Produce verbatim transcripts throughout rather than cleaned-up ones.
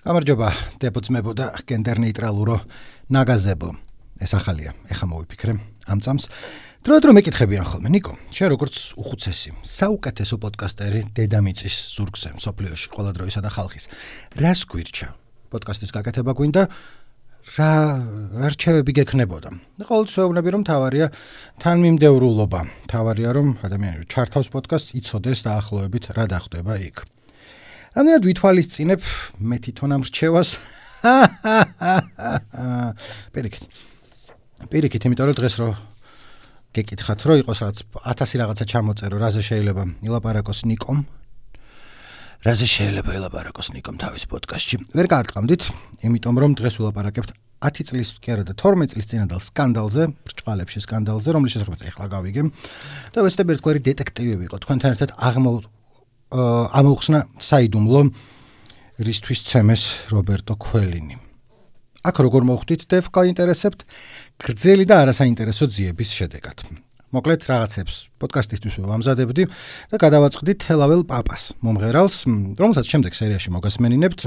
გამარჯობა, დებოძმებო და გენდერ-ნეიტრალურო ნაგაზებო. ეს ახალია, ეხა მოვიფიქრე ამ წამს. დროდადრო მეკითხებიან ხოლმე, ნიკო, შენ როგორც უხუცესი, საუკეთესო პოდკასტერი დედამიწის ზურგზე, მსოფლიოში, ყველა დროისა და ხალხის. რას გვირჩა? პოდკასტის გაკეთება გვინდა, რა რა რჩევები გექნებოდა? ყოველთვის ვეუბნები, რომ თავარია თანმიმდევრულობა. თავარია, რომ ადამიანები ჩართავს პოდკასტს, იცოდეს დაახლოებით რა დახვდება იქ. რამდენად ვითვალისწინებ მე თვითონ ამ რჩევას? პირიქით. პირიქით, იმიტომ რომ დღეს რო გეკითხათ, რომ იყოს რაღაც ათასი რაღაცა ჩამოწერო, რაზე შეიძლება ილაპარაკოს ნიკომ? რაზე შეიძლება ილაპარაკოს ნიკომ თავის პოდკასტში? ვერ გაარტყამდით, იმიტომ რომ დღეს ვილაპარაკებთ ათი წლის კი არა და თორმეტ წლის წინადელ სკანდალზე, ბრჭყალებში სკანდალზე, რომლის შესახებაც ახლა გავიგებ. და ვეცდები ერთგვარი დეტექტივი იყო თქვენთან ერთად აღმო ამოუხსნა საიდუმლო რისთვის ცემეს რობერტო ქველინი. აქ როგორ მოხვდით და გაინტერესებთ გრძელი და არასაინტერესო ძიების შედეგად. მოკლედ რაღაცებს პოდკასტისთვის ვამზადებდი და გადავაწყდით თელაվել პაპას, მომღერალს, რომელსაც შემდეგ სერიაში მოგასმენინებთ.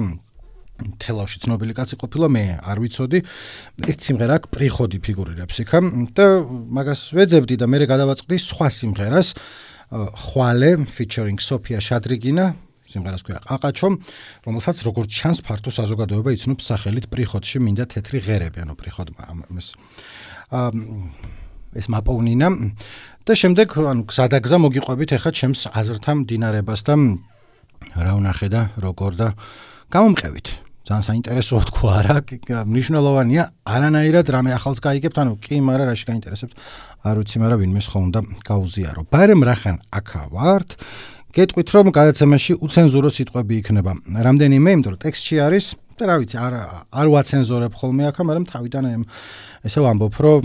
თელავში ცნობილი კაცი ყოფილა, მე არ ვიცოდი. ერთ სიმღერა აქ პრიხოდი ფიგურირებს იქა და მაგას ვეძებდი და მე გადავაწყდი სხვა სიმღერას, ხვალე featuring სოფია შადრიგინა, სიმღერას ქვია ყაყაჩო, რომელსაც როგორც ჩანს ფართო საზოგადოება იცნობს სახელით პრიხოდში მინდა თეთრი ღერები, ანუ პრიხოდმა ეს ეს მაპოვნინა და შემდეგ ანუ გზადაგზა მოგიყვებით ახლა ჩემს აზრთა მდინარებას და რა ვნახე და როგორ და გამომყევით. ძალიან საინტერესოა თქვა რა, მნიშვნელოვანია, არანაირად რამე ახალს გაიგებთ, ანუ კი, მაგრამ რაში გაინტერესებთ, არ ვიცი, მაგრამ ვინმეს ხო უნდა გაუზიარო. ბარემ რახან აქა ვართ, გეტყვით, რომ გადაცემაში უცენზურო სიტყვები იქნება. რამდენიმე, იმიტომ რომ ტექსტში არის და რა ვიცი, არ არ ვაცენზორებ ხოლმე აქა, მაგრამ თავიდან ესე ვამბობ, რომ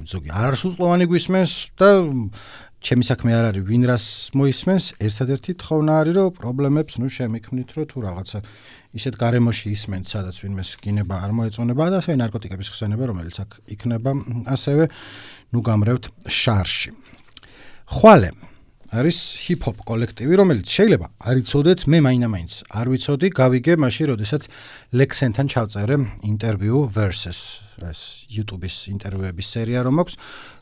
ზოგი არასრულწლოვანი გვისმენს და ჩემი საქმე არ არის ვინ რას მოისმენს, ერთადერთი თხოვნა არის, რომ პრობლემებს ნუ შემიქმნით, რომ თუ რაღაცა ისეთ გარემოში ისმენთ, სადაც ვინმეს გინება არ მოეწონება და ასევე ნარკოტიკების ხსენება, რომელიც აქ იქნება, ასევე ნუ გამრევთ შარში. ხვალე არის ჰიპ-ჰოპ კოლექტივი, რომელიც შეიძლება არ იცოდეთ, მე მაინდა-მაინც არ ვიცოდი, გავიგე მაშინ, როდესაც ლექსენთან ჩავწერე ინტერვიუ Versus, ეს YouTube-ის ინტერვიუების სერია რომ აქვს,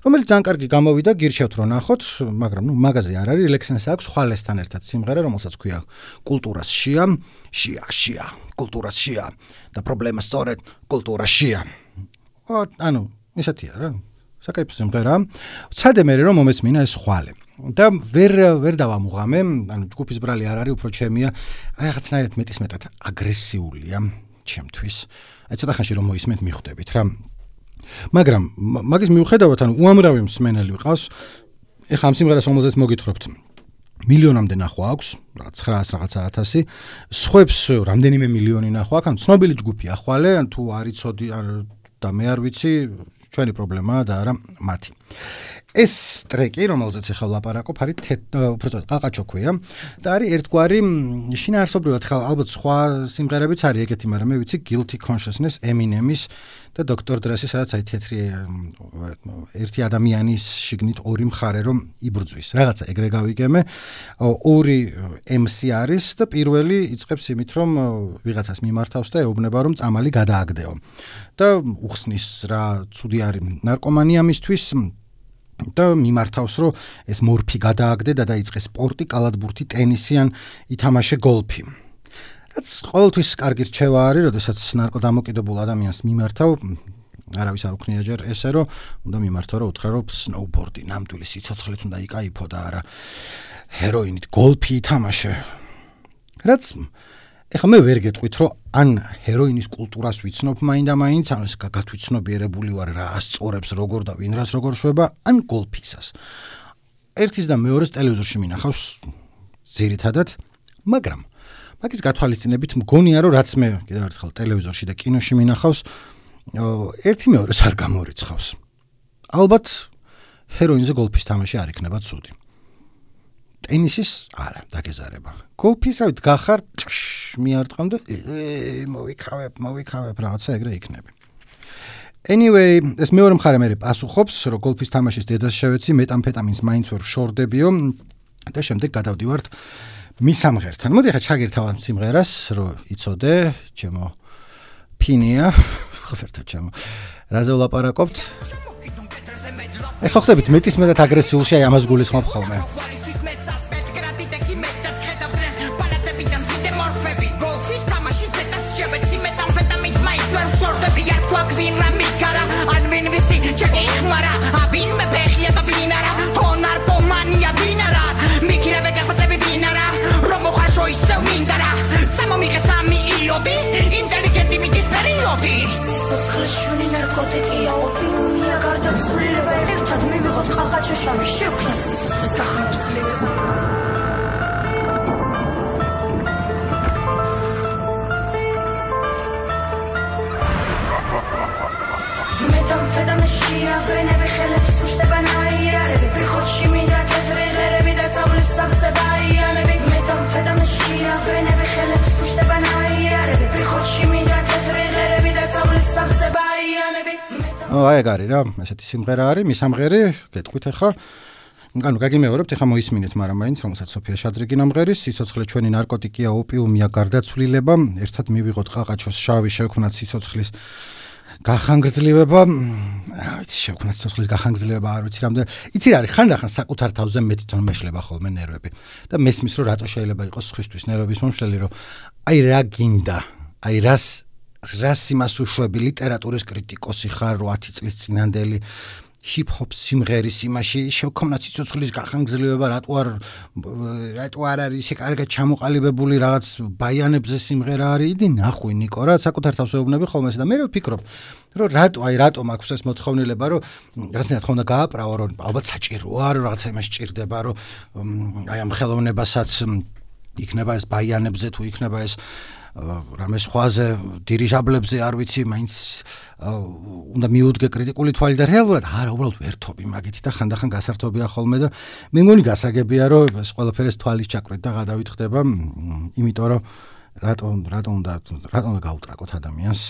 რომელიც ძალიან კარგი გამოვიდა, გირჩევთ რომ ნახოთ, მაგრამ ნუ მაგაზე არ არის, ლექსენს აქვს ხვალესთან ერთად სიმღერა, რომელსაც ქვია კულტურას შია, შია, შია, კულტურას შია და პრობლემა სწორედ კულტურაშია. ანუ ისეთია რა, საკაიფო სიმღერა. ვცადე მე რომ მომესმინა ეს ხვალე. და ვერ ვერ დავამუღამე, ანუ ჯგუფის ბრალი არ არის, უფრო ჩემია, აი რაღაცნაირად მეტის მეტად აგრესიულია ჩემთვის. აი ცოტა ხანში რომ მოისმენთ მიხვდებით რა. მაგრამ მაგის მიუხედავად, ანუ უამრავი მსმენელი ვიყავს, ეხლა ამ სიმღერას რომელზეც მოგითხრობთ, მილიონამდე ნახვა აქვს, რაღაც ცხრაას რაღაცა ათასი, სხვებს რამდენიმე მილიონი ნახვა აქვს, ანუ ცნობილი ჯგუფია ხვალე, თუ არ იცოდი და მე არ ვიცი, ჩვენი პრობლემაა და არა მათი. ეს ტრეკი, რომელზეც ახლა ვლაპარაკობ, არის უბრალოდ ყაყაჩო ქვია და არის ერთგვარი შინაარსობრივად ხა ალბათ სხვა სიმღერებიც არის ეგეთი, მაგრამ მე ვიცი Guilty Consciousness, Eminemის და დოქტორ დრესის, სადაც აი თეთრი ერთი ადამიანის შიგნით ორი მხარე რომ იბრძვის. რაღაცა ეგრე გავიგემე. ორი ემ სი არის და პირველი იწყებს იმით, რომ ვიღაცას მიმართავს და ეუბნება, რომ წამალი გადააგდეო. და უხსნის რა ცუდი არის ნარკომანია მისთვის და მიმართავს, რომ ეს მორფი გადააგდე და დაიწყეს სპორტი, კალათბურთი, ტენისი ან ითამაშე გოლფი. რაც ყოველთვის კარგი რჩევა არის, როდესაც ნარკოდამოკიდებულ ადამიანს მიმართავ, არავის არ უქნია ჯერ ესე, რომ უნდა მიმართო, რომ უთხრა, რომ სნოუბორდი, ნამდვილი სიცოცხლით უნდა იკაიფო და არა ჰეროინით გოლფი ითამაშე. რაც ეხლა მე ვერ გეტყვით, რომ ან ჰეროინის კულტურას ვიცნობ მაინდა-მაინც, ან ეს გათვითცნობიერებული ვარ რა ასწორებს როგორ და ვინ რას როგორ შვება, ან გოლფისას. ერთის და მეორეს ტელევიზორში მინახავს ძირითადად, მაგრამ მაგის გათვალისწინებით მგონია, რომ რაც მე კიდევ ერთხელ ტელევიზორში და კინოში მინახავს, ერთი მეორეს არ გამორიცხავს. ალბათ ჰეროინზე გოლფის თამაში არ იქნება ცუდი. ტენისის არა, დაგეზარება. გოლფის რავით გახარ, მიარტყამ და მოვიქავებ, მოვიქავებ, რაღაცა ეგრე იქნება. Anyway, ეს მეორე მხარე მე პასუხობს, რომ გოლფის თამაშის დედას შევეცი, მეტამფეტამინს მაინც ვერ შორდებიო და შემდეგ გადავდივართ მის სამღერთან. მოდი ახლა ჩაგირთავ ამ სიმღერას, რომ იცოდე, ჩემო ფინია, ხერთა ჩემო. რაზე ვლაპარაკობთ? ეხლა ხდებით მეტის მეტად აგრესიულში, აი ამას გულისხმობ ხოლმე. შავი შევქნას სიცოცხლის გახანგრძლივება მეტამფეტამინში აღგრენები ხელებს უშტება ნაიარები პრიხოთში მინდა თეთრი ღერები და წავლის სავსება აიანები მეტამფეტამინში აღგრენები ხელებს უშტება ნაიარები პრიხოთში მინდა თეთრი ღერები და წავლის სავსება აიანები აი ეგ არის რა, ესეთი სიმღერა არის, მის სამღერი, გეტყვით ახლა. ანუ გაგიმეორებთ, ახლა მოისმინეთ, მაგრამ მაინც რომელსაც სოფია შადრიგი ნამღერის, სიცოცხლე ჩვენი ნარკოტიკია, ოპიუმია, გარდაცვლილება, ერთად მივიღოთ ყაყაჩოს შავი, შევქმნათ სიცოცხლის გახანგრძლივება, რა ვიცი, შევქმნათ სიცოცხლის გახანგრძლივება, არ ვიცი რამდენი. იცი რა არის, ხანდახან საკუთარ თავზე მეტი თვითონ მეშლება ხოლმე ნერვები. და მესმის რომ რატო შეიძლება იყოს სხვისთვის ნერვების მომშლელი, რომ აი რა გინდა, აი რას რას იმას უშვები ლიტერატურის კრიტიკოსი ხარ რო ათი წლის წინანდელი ჰიპ-ჰოპ სიმღერის იმაში შევქონა სიცოცხლის გახანგრძლივება რატო არ რატო არ არის ისე კარგად ჩამოყალიბებული რაღაც ბაიანებზე სიმღერა არის იდი ნახვი ნიკო რა საკუთარ თავს ეუბნები ხოლმე და მე ვფიქრობ რომ რატო აი რატო მაქვს ეს მოთხოვნილება რომ რაღაცნაირად ხომ და გააправო რომ ალბათ საჭიროა რომ რაღაცა იმას ჭირდება რომ აი ამ ხელოვნებასაც იქნება ეს ბაიანებზე თუ იქნება ეს რამე სხვაზე დირიჟაბლებზე არ ვიცი მაინც უნდა მიუდგე კრიტიკული თვალი და რეალურად არა უბრალოდ ვერთობი მაგით და ხანდახან გასართობია ხოლმე და მე მგონი გასაგებია რომ ეს ყველაფერი ეს თვალის ჩაკვეთ და გადავით ხდება იმიტომ რომ რატო რატო უნდა რატო უნდა გაუტრაკოთ ადამიანს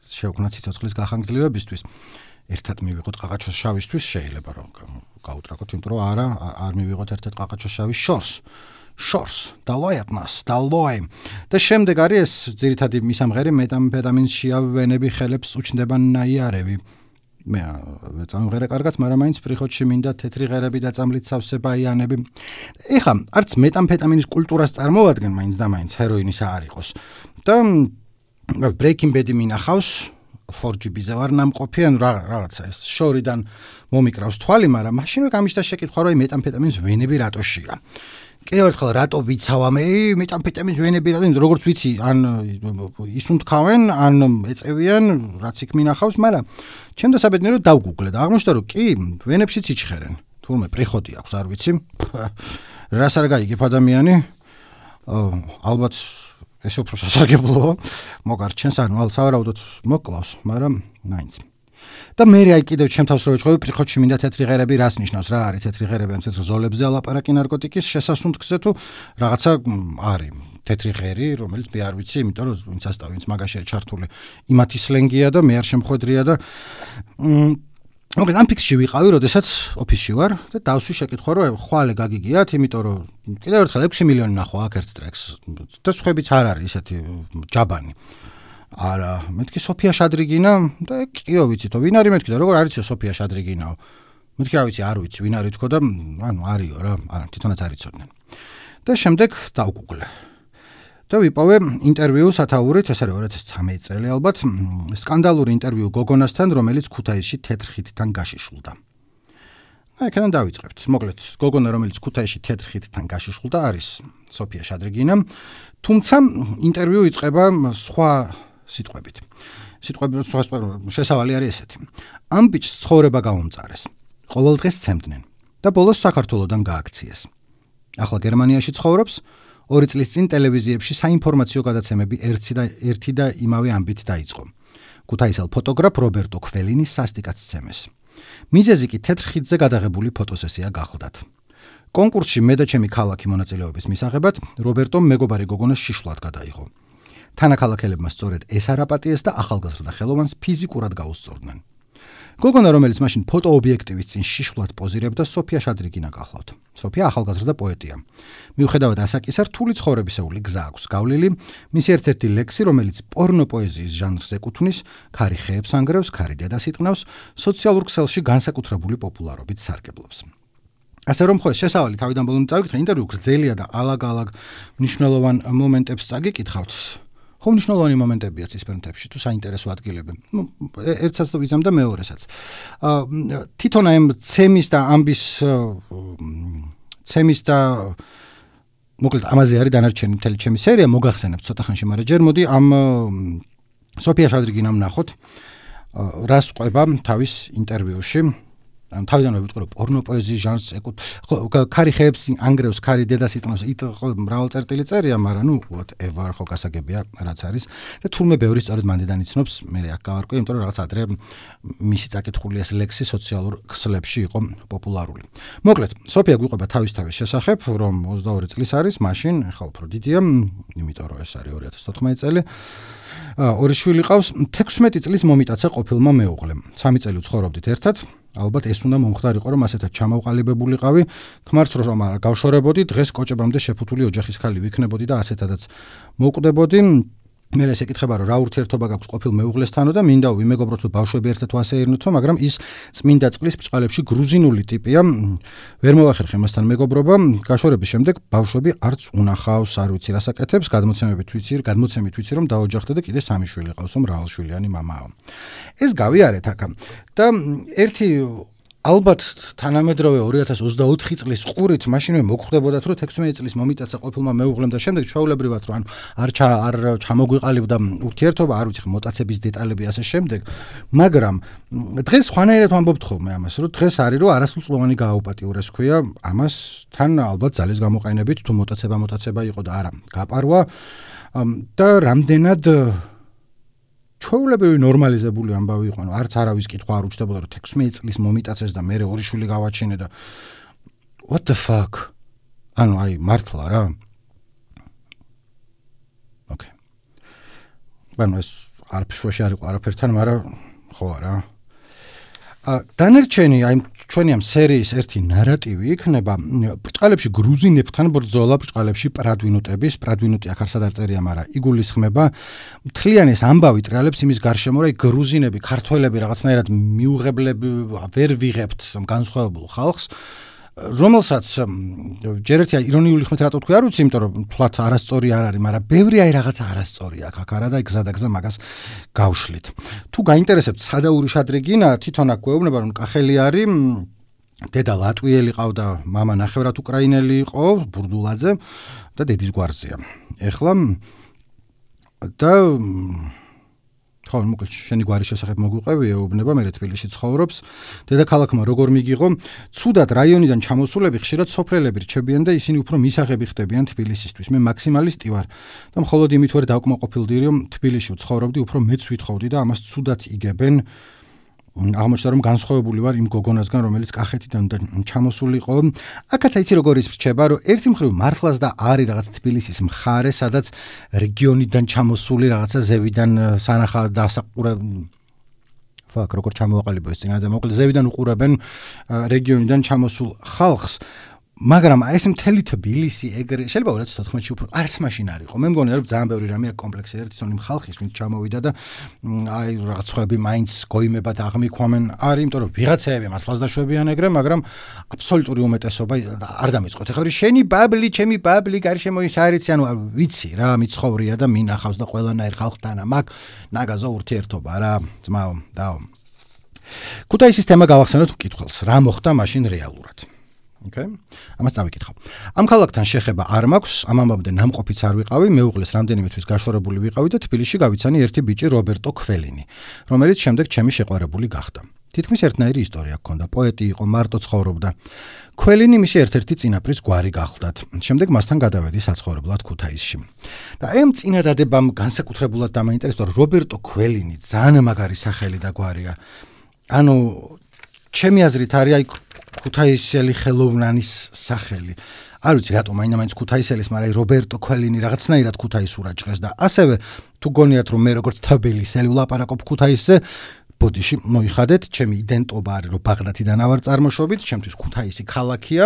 შევქმნათ სიცოცხლის გახანგრძლივებისთვის ერთად მივიღოთ ყაყაჩოს შავისთვის შეიძლება რომ გაუტრაკოთ იმიტომ რომ არა არ მივიღოთ ერთად ყაყაჩოს შავის შორს შორს დალოიათ მას დალოი და შემდეგ არის ეს ძირითადი მისამღერი მეტამფეტამინში ავენები ხელებს უჩნდება ნაიარები მე წამღერე კარგად მაგრამ მაინც პრიხოთში მინდა თეთრი ღერები და წამლით სავსე ბაიანები ეხა არც მეტამფეტამინის კულტურას წარმოადგენ მაინც და მაინც ჰეროინის არ იყოს და Breaking Bad-ი მინახავს four G B-ზე ვარ ნამყოფი ან რაღაცა ეს შორიდან მომიკრავს თვალი მაგრამ მაშინვე გამიშთა შეკითხვა რომ მეტამფეტამინის ვენები რატოშია კიდევ ერთხელ რატო ვიცავამე მეტამფეტამინის ვენები რატო როგორც ვიცი ან ისუნთქავენ ან ეწევიან რაც იქ მინახავს მაგრამ ჩემ და საბედნიეროდ დავგუგლე და აღმოჩნდა რომ კი ვენებშიც იჩხერენ თურმე პრიხოდი აქვს არ ვიცი რას არ გაიგებ ადამიანი ალბათ ეს უფრო სასარგებლოა მოგარჩენს ანუ სავარაუდოდ მოკლავს მაგრამ მაინც და მე აი კიდევ ჩემ თავს რო ვეჭვევი პრიხოთში მინდა თეთრი ღერები რას ნიშნავს რა არის თეთრი ღერები ამ თეთრ ზოლებზე ალაპარაკი ნარკოტიკის შესასუნთქზე თუ რაღაცა არის თეთრი ღერი რომელიც მე არ ვიცი იმიტომ რომ ვინც ასტავ ვინც მაგაშია ჩართული იმათი სლენგია და მე არ შემხვედრია და მოგეთ ამ ფიქსში ვიყავი როდესაც ოფისში ვარ და დავსვი შეკითხვა რომ ხვალე გაგიგიათ იმიტომ რომ კიდევ ერთხელ ექვსი მილიონი ნახვა აქ ერთ ტრეკს და სხვებიც არ არის ესეთი ჯაბანი არა მეთქი სოფია შადრიგინა და კიო ვიცი თო ვინ არის მეთქი და როგორ არიცო სოფია შადრიგინაო მეთქი რა ვიცი არ ვიცი ვინ არის თქო და ანუ არისო რა არა თვითონაც არიცოდნენ და შემდეგ დავგუგლე და ვიპოვე ინტერვიუ სათაურით ეს არის ორი ათას ცხრამეტი წელი ალბათ სკანდალური ინტერვიუ გოგონასთან რომელიც ქუთაისში თეთრ ხიდთან გაშიშვლდა აი კენ დავიწყებთ მოკლედ გოგონა რომელიც ქუთაისში თეთრ ხიდთან გაშიშვლდა არის სოფია შადრიგინა თუმცა ინტერვიუ იწყება სხვა სიტყვებით. სიტყვები შესავალი არის ესეთი. ამ ბიჭს ცხოვრება გაუმწარეს. ყოველ დღეს ცემდნენ და ბოლოს საქართველოსდან გააქციეს. ახლა გერმანიაში ცხოვრობს, ორი წლის წინ ტელევიზიებში საინფორმაციო გადაცემები ერთი და ერთი და იმავე ამბით დაიწყო. ქუთაისელ ფოტოგრაფ რობერტო ქველინის სასტიკად სცემეს. მიზეზი კი თეთრ ხიდზე გადაღებული ფოტოსესია გახლდათ. კონკურსში მე და ჩემი ქალაქი მონაწილეობის მისაღებად რობერტომ მეგობარი გოგონას შიშვლად გადაიღო. თანაქალაქელებმა სწორედ ეს არაპატიეს და ახალგაზრდა ხელოვანს ფიზიკურად გაუსწორდნენ. გოგონა, რომელიც მაშინ ფოტოობიექტივის წინ შიშვლად პოზირებდა, სოფია შადრიგინა გახლავთ. სოფია ახალგაზრდა პოეტია. მიუხედავად ასაკისა, რთული ცხოვრებისეული გზა აქვს გავლილი, მისი ერთ-ერთი ლექსი, რომელიც პორნო პოეზიის ჟანრს ეკუთვნის, ქარი ხეებს ანგრევს, ქარი დედას იტყნავს, სოციალურ ქსელში განსაკუთრებული პოპულარობით სარგებლობს. ასე რომ ხო შესავალი თავიდან ბოლომდე წავიკითხე, ინტერვიუ გრძელია და ალაგ-ალაგ მნიშვნელოვან მომენტებს წაგიკითხავთ. ხო მნიშვნელოვანი მომენტებია ცისფერმთებში თუ საინტერესო ადგილები. ერთსაც თუ ვიზამ და მეორესაც. თვითონ ამ ცემის და ამბის ცემის და მოკლედ ამაზე არის დანარჩენი მთელი ჩემი სერია, მოგახსენებთ ცოტა ხანში, მაგრამ ჯერ მოდი ამ სოფია შადრიგინამ ნახოთ, რას ყვება თავის ინტერვიუში. თავიდანვე ვიტყვი, რომ პორნო პოეზიის ჟანრს ეკუთვნის, ქარი ხეებს ანგრევს, ქარი დედას იტყნავს, იტ მრავალ წერტილი წერია, მაგრამ ნუ whatever ხო გასაგებია რაც არის და თურმე ბევრი სწორედ მანდიდან იცნობს, მე აქ გავარკვე, იმიტომ რომ რაღაც ადრე მისი წაკითხული ეს ლექსი სოციალურ ქსლებში იყო პოპულარული. მოკლედ, სოფია გვიყვება თავის-თავის შესახებ, რომ ოცდაორი წლის არის, მაშინ ახლა უფრო დიდია, იმიტომ რომ ეს არის ორი ათას თოთხმეტი წელი. ორი შვილი ყავს, თექვსმეტი წლის მომიტაცა ყოფილმა მეუღლემ. სამი წელი ცხოვრობდით ერთად. ალბათ ეს უნდა მომხდარიყო, რომ ასეთად ჩამოყალიბებულიყავი, ქმარს რომ არ გავშორებოდი, დღეს კოჭებამდე შეფუთული ოჯახის ხალი ვიქნებოდი და ასეთადაც მოვკვდებოდი. მე ეს ეკითხება, რომ რა ურთიერთობა გაქვს ყოფილ მეუღლესთანო და მინდა ვიმეგობროთ, რომ ბავშვები ერთად ვასეირნოთო, მაგრამ ის წმინდა წყლის ბრჭყალებში გრუზინული ტიპია, ვერ მოვახერხე მასთან მეგობრობა, გაშორების შემდეგ ბავშვები არც უნახავს, არ ვიცი რას აკეთებს, გადმოცემებით ვიცი, გადმოცემით ვიცი, რომ დაოჯახდა და კიდე სამი შვილი ყავსო, მრავალშვილიანი მამაა. ეს გავიარეთ აქ და ერთი ალბათ თანამედროვე ორი ათას ოცდაოთხი წლის ყურით მაშინვე მოგხვდებოდათ, რომ თექვსმეტი წლის მომიტაცა ყოფილმა მეუღლემ და შემდეგ ჩვეულებრივად რომ არ არ ჩამოგვიყალიბდა ურთიერთობა, არ ვიცი მოტაცების დეტალები ასე შემდეგ, მაგრამ დღეს ხვანაერად ვამბობთ ხოლმე ამას, რომ დღეს არის რომ არასრულწლოვანი გააუპატიურეს ქვია, ამას თან ალბათ ძალის გამოყენებით თუ მოტაცება მოტაცება იყო და არა გაპარვა და რამდენად ჩვეულებრივი ნორმალიზებული ამბავი იყო, არც არავის კითხვა არ უჩნდებოდა, რომ თექვსმეტი წლის მომიტაცეს და მე ორი შვილი გავაჩინე და what the fuck? ანუ აი მართლა რა. ოკეი. ბანო ეს არ ფშვაში არ იყო არაფერთან, მაგრამ ხო არა. ა დანერჩენი აი ჩვენი ამ სერიის ერთი ნარატივი იქნება ბრჭყალებში გრუზინებთან ბრძოლა, ბრჭყალებში პრადვინუტების, პრადვინუტი აქ არსად არ წერია, მაგრამ იგულისხმება მთლიანი ეს ამბავი ტრიალებს იმის გარშემო, რომ გრუზინები, ქართველები რაღაცნაირად მიუღებლები ვერ ვიღებთ განსხვავებულ ხალხს, რომელსაც ჯერ ერთი ირონიული ხმით რატო თქვი, არ ვიცი, იმიტომ რომ თვლათ არასწორი არ არის, მაგრამ ბევრი აი რაღაცა არასწორი აქ აქ არა და გზა და გზა მაგას გავშლით. თუ გაინტერესებთ სადაური შადრიგინა, თვითონ აქ გვეუბნება, რომ კახელი არის, დედა ლატვიელი ყავდა, მამა ნახევრად უკრაინელი იყო, ბურდულაძე და დედის გვარზეა. ეხლა და ხო, მოკლედ შენი გვარის შესახებ მოგვიყვები, ეუბნება, მე თბილისში ცხოვრობს. დედაქალაქმა როგორ მიგიღო, ცუდად რაიონიდან ჩამოსულები ხშირად სოფლელები რჩებიან და ისინი უფრო მისაღები ხდებიან თბილისისთვის. მე მაქსიმალისტი ვარ და მხოლოდ იმით ვერ დავკმაყოფილდი, რომ თბილისში ვცხოვრობდი, უფრო მეც ვითხოვდი და ამას ცუდად იგებენ. აღმოჩნდა რომ განსხვავებული ვარ იმ გოგონასგან, რომელიც კახეთიდან ჩამოსული იყო. აქაც აიცი როგორ ის რჩება, რომ ერთი მხრივ მართლაც და არის რაღაც თბილისის მხარე, სადაც რეგიონიდან ჩამოსული რაღაცა ზევიდან სანახა დასაყურე ფაქ როგორ ჩამოაყალიბო ეს წინა და მოკლედ ზევიდან უყურებენ რეგიონიდან ჩამოსულ ხალხს. მაგრამ ეს მთელი თბილისი ეგრე შეიძლება ორი ათას თოთხმეტში უფრო არც მაშინ არ იყო. მე მგონია რომ ძალიან ბევრი რამე აქ კომპლექსი არის თვითონ იმ ხალხის, ვინც ჩამოვიდა და აი რაღაც ხვები მაინც გოიმება და აღმიქვამენ არის, იმიტომ რომ ვიღაცაები მართლაც დაშვებიან ეგრე, მაგრამ აბსოლუტური უმეტესობა არ დამიწყოთ. ეხლა შენი ბაბლი, ჩემი ბაბლი, გარშემო ის არიცი, ანუ ვიცი რა, მიცხოვრია და მინახავს და ყველანაირ ხალხთან მაგ ნაგაზო ურთიერთობა რა, ძმაო, დაო. ქუთაისის თემა გავახსენოთ მკითხველს, რა მოხდა მაშინ რეალურად. Okay. ამას წავიკითხავ. ამ ქალაქთან შეხება არ მაქვს, ამ ამბამდე ნამყოფიც არ ვიყავი, მეუღლეს რამდენიმე თვის გაშორებული ვიყავი და თბილისში გავიცანი ერთი ბიჭი რობერტო ქველინი, რომელიც შემდეგ ჩემი შეყვარებული გახდა. თითქმის ერთნაირი ისტორია ჰქონდა, პოეტი იყო, მარტო ცხოვრობდა. ქველინი მისი ერთ-ერთი წინაპრის გვარი გახლდათ. შემდეგ მასთან გადავედი საცხოვრებლად ქუთაისში. და ამ წინადადებამ განსაკუთრებულად დამაინტერესა, რომ რობერტო ქველინი ძალიან მაგარი სახელი და გვარია. ანუ ჩემი აზრით არის აი ქუთაისელი ხელოვნანის სახელი. არ ვიცი რატომ მაინც ქუთაისელის, მაგრამ რობერტო ქველინი რაღაცნაირად ქუთაისურად ჭრეს და ასევე თუ გონიათ რომ მე როგორც თბილისელი ვლაპარაკობ ქუთაისზე, ბოდიში მოიხადეთ, ჩემი იდენტობა არის რომ ბაღდათიდან ავარ წარმოშობით, ჩემთვის ქუთაისი ქალაქია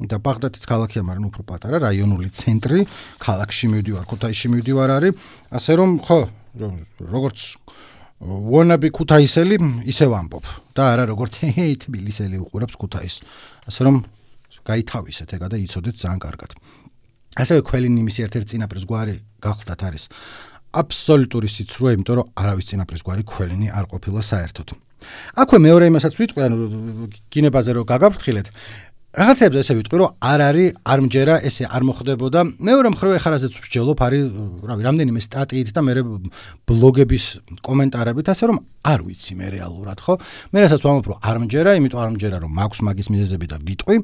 და ბაღდათიც ქალაქია, მაგრამ უფრო პატარა რაიონული ცენტრი, ქალაქში მივდივარ, ქუთაისში მივდივარ არის, ასე რომ ხო, როგორც ვონაბი ქუთაისელი ისე ვამბობ და არა როგორც ჰეი თბილისელი უყურებს ქუთაისს. ასე რომ გაითავისეთ ეგა და იცოდეთ ძალიან კარგად. ასევე ქველინი მისი ერთ-ერთი წინაპრის გვარი გახლდათ არის აბსოლუტური სიცრუე, იმიტომ რომ არავის წინაპრის გვარი ქველინი არ ყოფილა საერთოდ. აქვე მეორე იმასაც ვიტყვი, ანუ გინებაზე რომ გაგაფრთხილეთ, რაღაცებზე ესე ვიტყვი, რომ არ არის, არ მჯერა, ესე არ მოხდებოდა. მეორე მხრივ ეხარაზეც ვსჯელობ, არის, რავი, რამდენიმე სტატიით და მე ბლოგების კომენტარებით, ასე რომ არ ვიცი მე რეალურად, ხო? მე რასაც ვამბობ, რომ არ მჯერა, იმიტომ არ მჯერა, რომ მაქვს მაგის მიზეზები და ვიტყვი.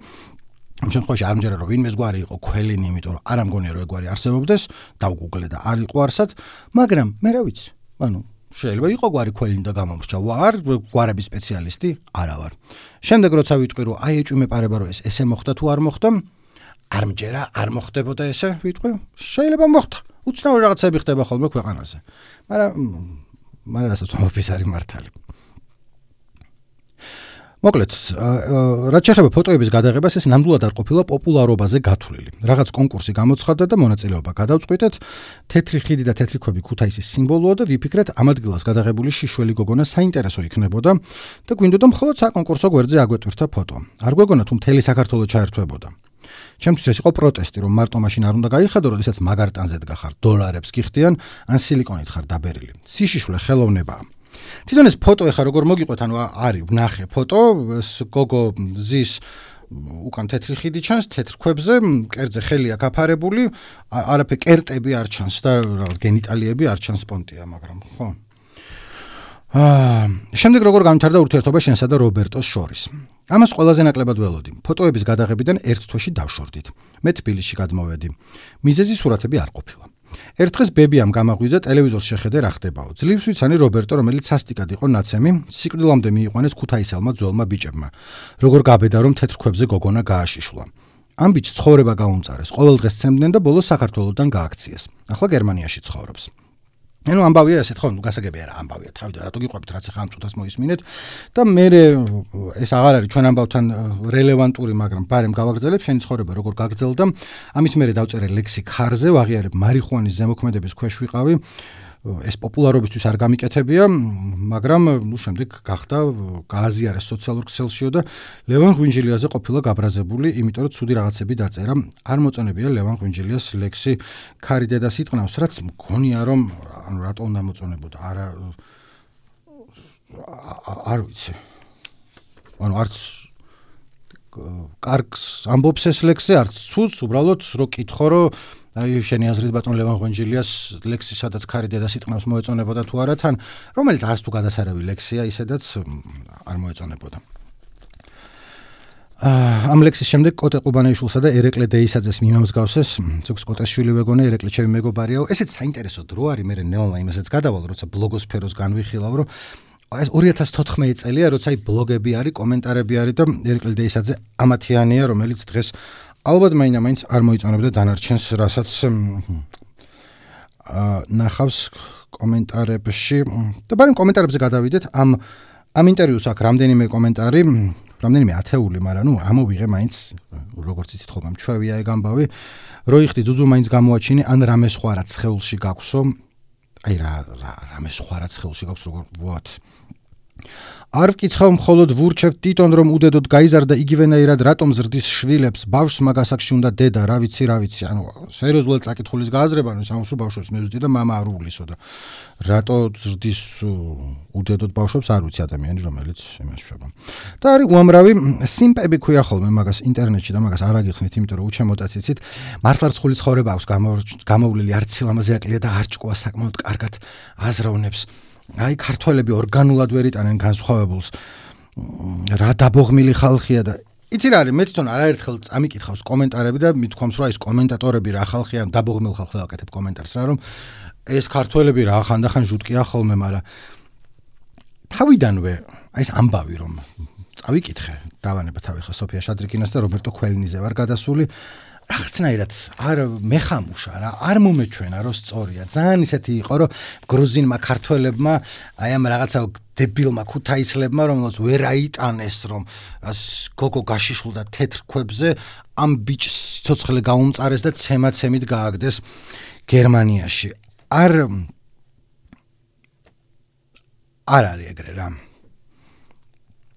ამ შემთხვევაში არ მჯერა, რომ ვინმეს გვარი იყო ქველინი, იმიტომ რომ არ ამგონია, რომ ეგ გვარი არსებობდეს, დავგუგლე და არ იყო არსად, მაგრამ მე რა ვიცი, ანუ შეიძლება იყო გვარი ქველინი და გამომრჩა, ვარ გვარების სპეციალისტი, არა ვარ. შემდეგ როცა ვიტყვი, რომ აი ეჭვი მეპარება, რომ ეს ესე მოხდა თუ არ მოხდა, არ მჯერა, არ მოხდებოდა ესე, ვიტყვი, შეიძლება მოხდა. უცნაური რაღაცები ხდება ხოლმე ქვეყანაზე. მაგრამ მაგრამ რასაც ვამბობ, ის არის მართალი. მოკლედ, რაც შეეხება ფოტოების გადაღებას, ეს ნამდვილად არ ყოფილა პოპულარობაზე გათვლილი. რაღაც კონკურსი გამოცხადდა და მონაწილეობა გადავწყვიტეთ. თეთრი ხიდი და თეთრი ქვები ქუთაისის სიმბოლოა და ვიფიქრეთ, ამ ადგილას გადაღებული შიშველი გოგონა საინტერესო იქნებოდა და გვინდოდა მხოლოდ საკონკურსო გვერდზე აგვეტვირთა ფოტო. არ გვეგონა თუ მთელი საქართველო ჩაერთვებოდა. ჩემთვის ეს იყო პროტესტი, რომ მარტო მაშინ არ უნდა გაიხედო, როდესაც მაგარ ტანზე დგახარ, დოლარებს გიხდიან, ან სილიკონით ხარ დაბერილი. სიშიშვლე ხელოვნებაა. თვითონ ეს ფოტო ეხა როგორ მოგიყვეთ, ანუ არის ვნახე ფოტო, ეს გოგო ზის უკან თეთრი ხიდი ჩანს, თეთრ ქვებზე, კერძე ხელია გაფარებული, არაფერი კერტები არ ჩანს და რაღაც გენიტალიები არ ჩანს პონტია, მაგრამ ხო. აა, შემდეგ როგორ გამთარდა ურთიერთობა შენსა და რობერტოს შორის. ამას ყველაზე ნაკლებად ველოდი. ფოტოების გადაღებიდან ერთ თვეში დავშორდით. მე თბილისში გადმოვედი. მიზეზი სურათები არ ყოფილა. ერთ დღეს ბებიამ გამაღვიძა ტელევიზორს შეხედე რა ხდებაო. ძლივს ვიცანი რობერტო, რომელიც სასტიკად იყო ნაცემი, სიკვდილამდე მიიყვანეს ქუთაისელმა ძველმა ბიჭებმა. როგორ გაბედა რომ თეთრ ქვებზე გოგონა გააშიშლა. ამ ბიჭს ცხოვრება გაუმწარეს. ყოველ დღეს სცემდნენ და ბოლოს საქართველოსდან გააქციეს. ახლა გერმანიაში ცხოვრობს. ანუ ამბავია ესეთ ხო, გასაგებია რა ამბავია. თავიდან რატო გიყვებით რაც ახლა ამ წუთას მოისმინეთ და მე ეს აღარ არის ჩვენ ამბავთან რელევანტური, მაგრამ ბარემ გავაგრძელებ შენი ცხოვრება როგორ გაგრძელდა. ამის მერე დავწერე ლექსი ქარზე, ვაღიარებ მარიხუანის ზემოქმედების ქვეშ ვიყავი. ეს პოპულარობისთვის არ გამიკეთებია, მაგრამ ნუ შემდეგ გახდა გააზიარეს სოციალურ ქსელშიო და ლევან ღვინჯილიაზე ყოფილა გაბრაზებული, იმიტომ რომ ცუდი რაღაცები დაწერა. არ მოწონებია ლევან ღვინჯილიას ლექსი ქარი დედას იტყნავს, რაც მგონია რომ ანუ რატო უნდა მოწონებოდა? არა არ ვიცი. ანუ არც კარგს ამბობს ეს ლექსი, არც ცუდს, უბრალოდ რო კითხო, რომ აი შენი აზრით ბატონ ლევან ღვინჯილიას ლექსი სადაც ქარი დედას იტყნავს მოეწონებოდა თუ არა თან, რომელიც არც თუ გადასარევი ლექსია, ისედაც არ მოეწონებოდა. ამ ლექსის შემდეგ კოტე ყუბანეიშვილსა და ერეკლე დეისაძეს მიმამსგავსეს, ზოგს კოტეს შვილი ვეგონა, ერეკლე ჩემი მეგობარიაო. ესეც საინტერესო დრო არის, მე ნეონლაინ იმასაც გადავალ, როცა ბლოგოსფეროს განვიხილავ, რომ ეს ორი ათას თოთხმეტი წელია, როცა აი ბლოგები არის, კომენტარები არის და ერეკლე დეისაძე ამათიანია, რომელიც დღეს ალბათ მაინც არ მოიწონებდა დანარჩენს, რასაც ნახავს კომენტარებში. და ბარემ კომენტარებზე გადავიდეთ. ამ ამ ინტერვიუს აქვს რამდენიმე კომენტარი, რამდენიმე ათეული, მაგრამ ნუ ამოვიღე მაინც, როგორც იცით ხოლმე მჩვევია ეგ ამბავი. რო იხდი ძუძუ მაინც გამოაჩინე, ან რამე სხვა რაც ხელში გაქვსო. აი რა რამე სხვა რაც ხელში გაქვს, როგორ ვუათ. არ ვკითხავ მხოლოდ ვურჩევ ტიტონ რომ უდედოდ გაიზარდა იგივენაირად რატომ ზრდის შვილებს ბავშვს მაგასაკში უნდა დედა რა ვიცი რა ვიცი ანუ სერიოზულად წაკითხulis გააზრება ანუ სამს რო ბავშვებს მე ვზდი და მამა არ უვლისო და რატო ზრდის უდედოდ ბავშვებს არ ვიცი ადამიანი რომელიც იმას შვება და არის უამრავი სიმპები ქვია ხოლმე მაგას ინტერნეტში და მაგას არ აგიხსნით იმიტომ რომ უჩემოდაც იცით მართლარცხული ცხოვრება აქვს გამოვლილი არც სილამაზე აკლია და არ ჭკუა საკმაოდ კარგად აზროვნებს აი ქართველები ორგანულად ვერ იტანენ განსხვავებულს რა დაბოღმილი ხალხია და იცი რა არის მე თვითონ არაერთხელ წამიკითხავს კომენტარები და მithქვამს რომ ეს კომენტატორები რა ხალხია დაბოღმილ ხალხს აკეთებ კომენტარს რა რომ ეს ქართველები რა ხანდახან ჟუტკია ხოლმე მაგრამ თავიდანვე აი ეს ამბავი რომ წავიკითხე დავანება თავი ხა სოფია შადრიკინას და რობერტო ქველინიზე ვარ გადასული რაღაცნაირად არ მეხამუშა რა არ მომეჩვენა რომ სწორია ძალიან ისეთი იყო რომ გრუზინმა ქართველებმა აი ამ რაღაცა დებილმა ქუთაისლებმა, რომელსაც ვერ აიტანეს, რომ გოგო გაშიშულდა თეთრ ქვებზე, ამ ბიჭს სიცოცხლე გაუმწარეს და ცემაცემით გააგდეს გერმანიაში. არ არ არის ეგრე რა.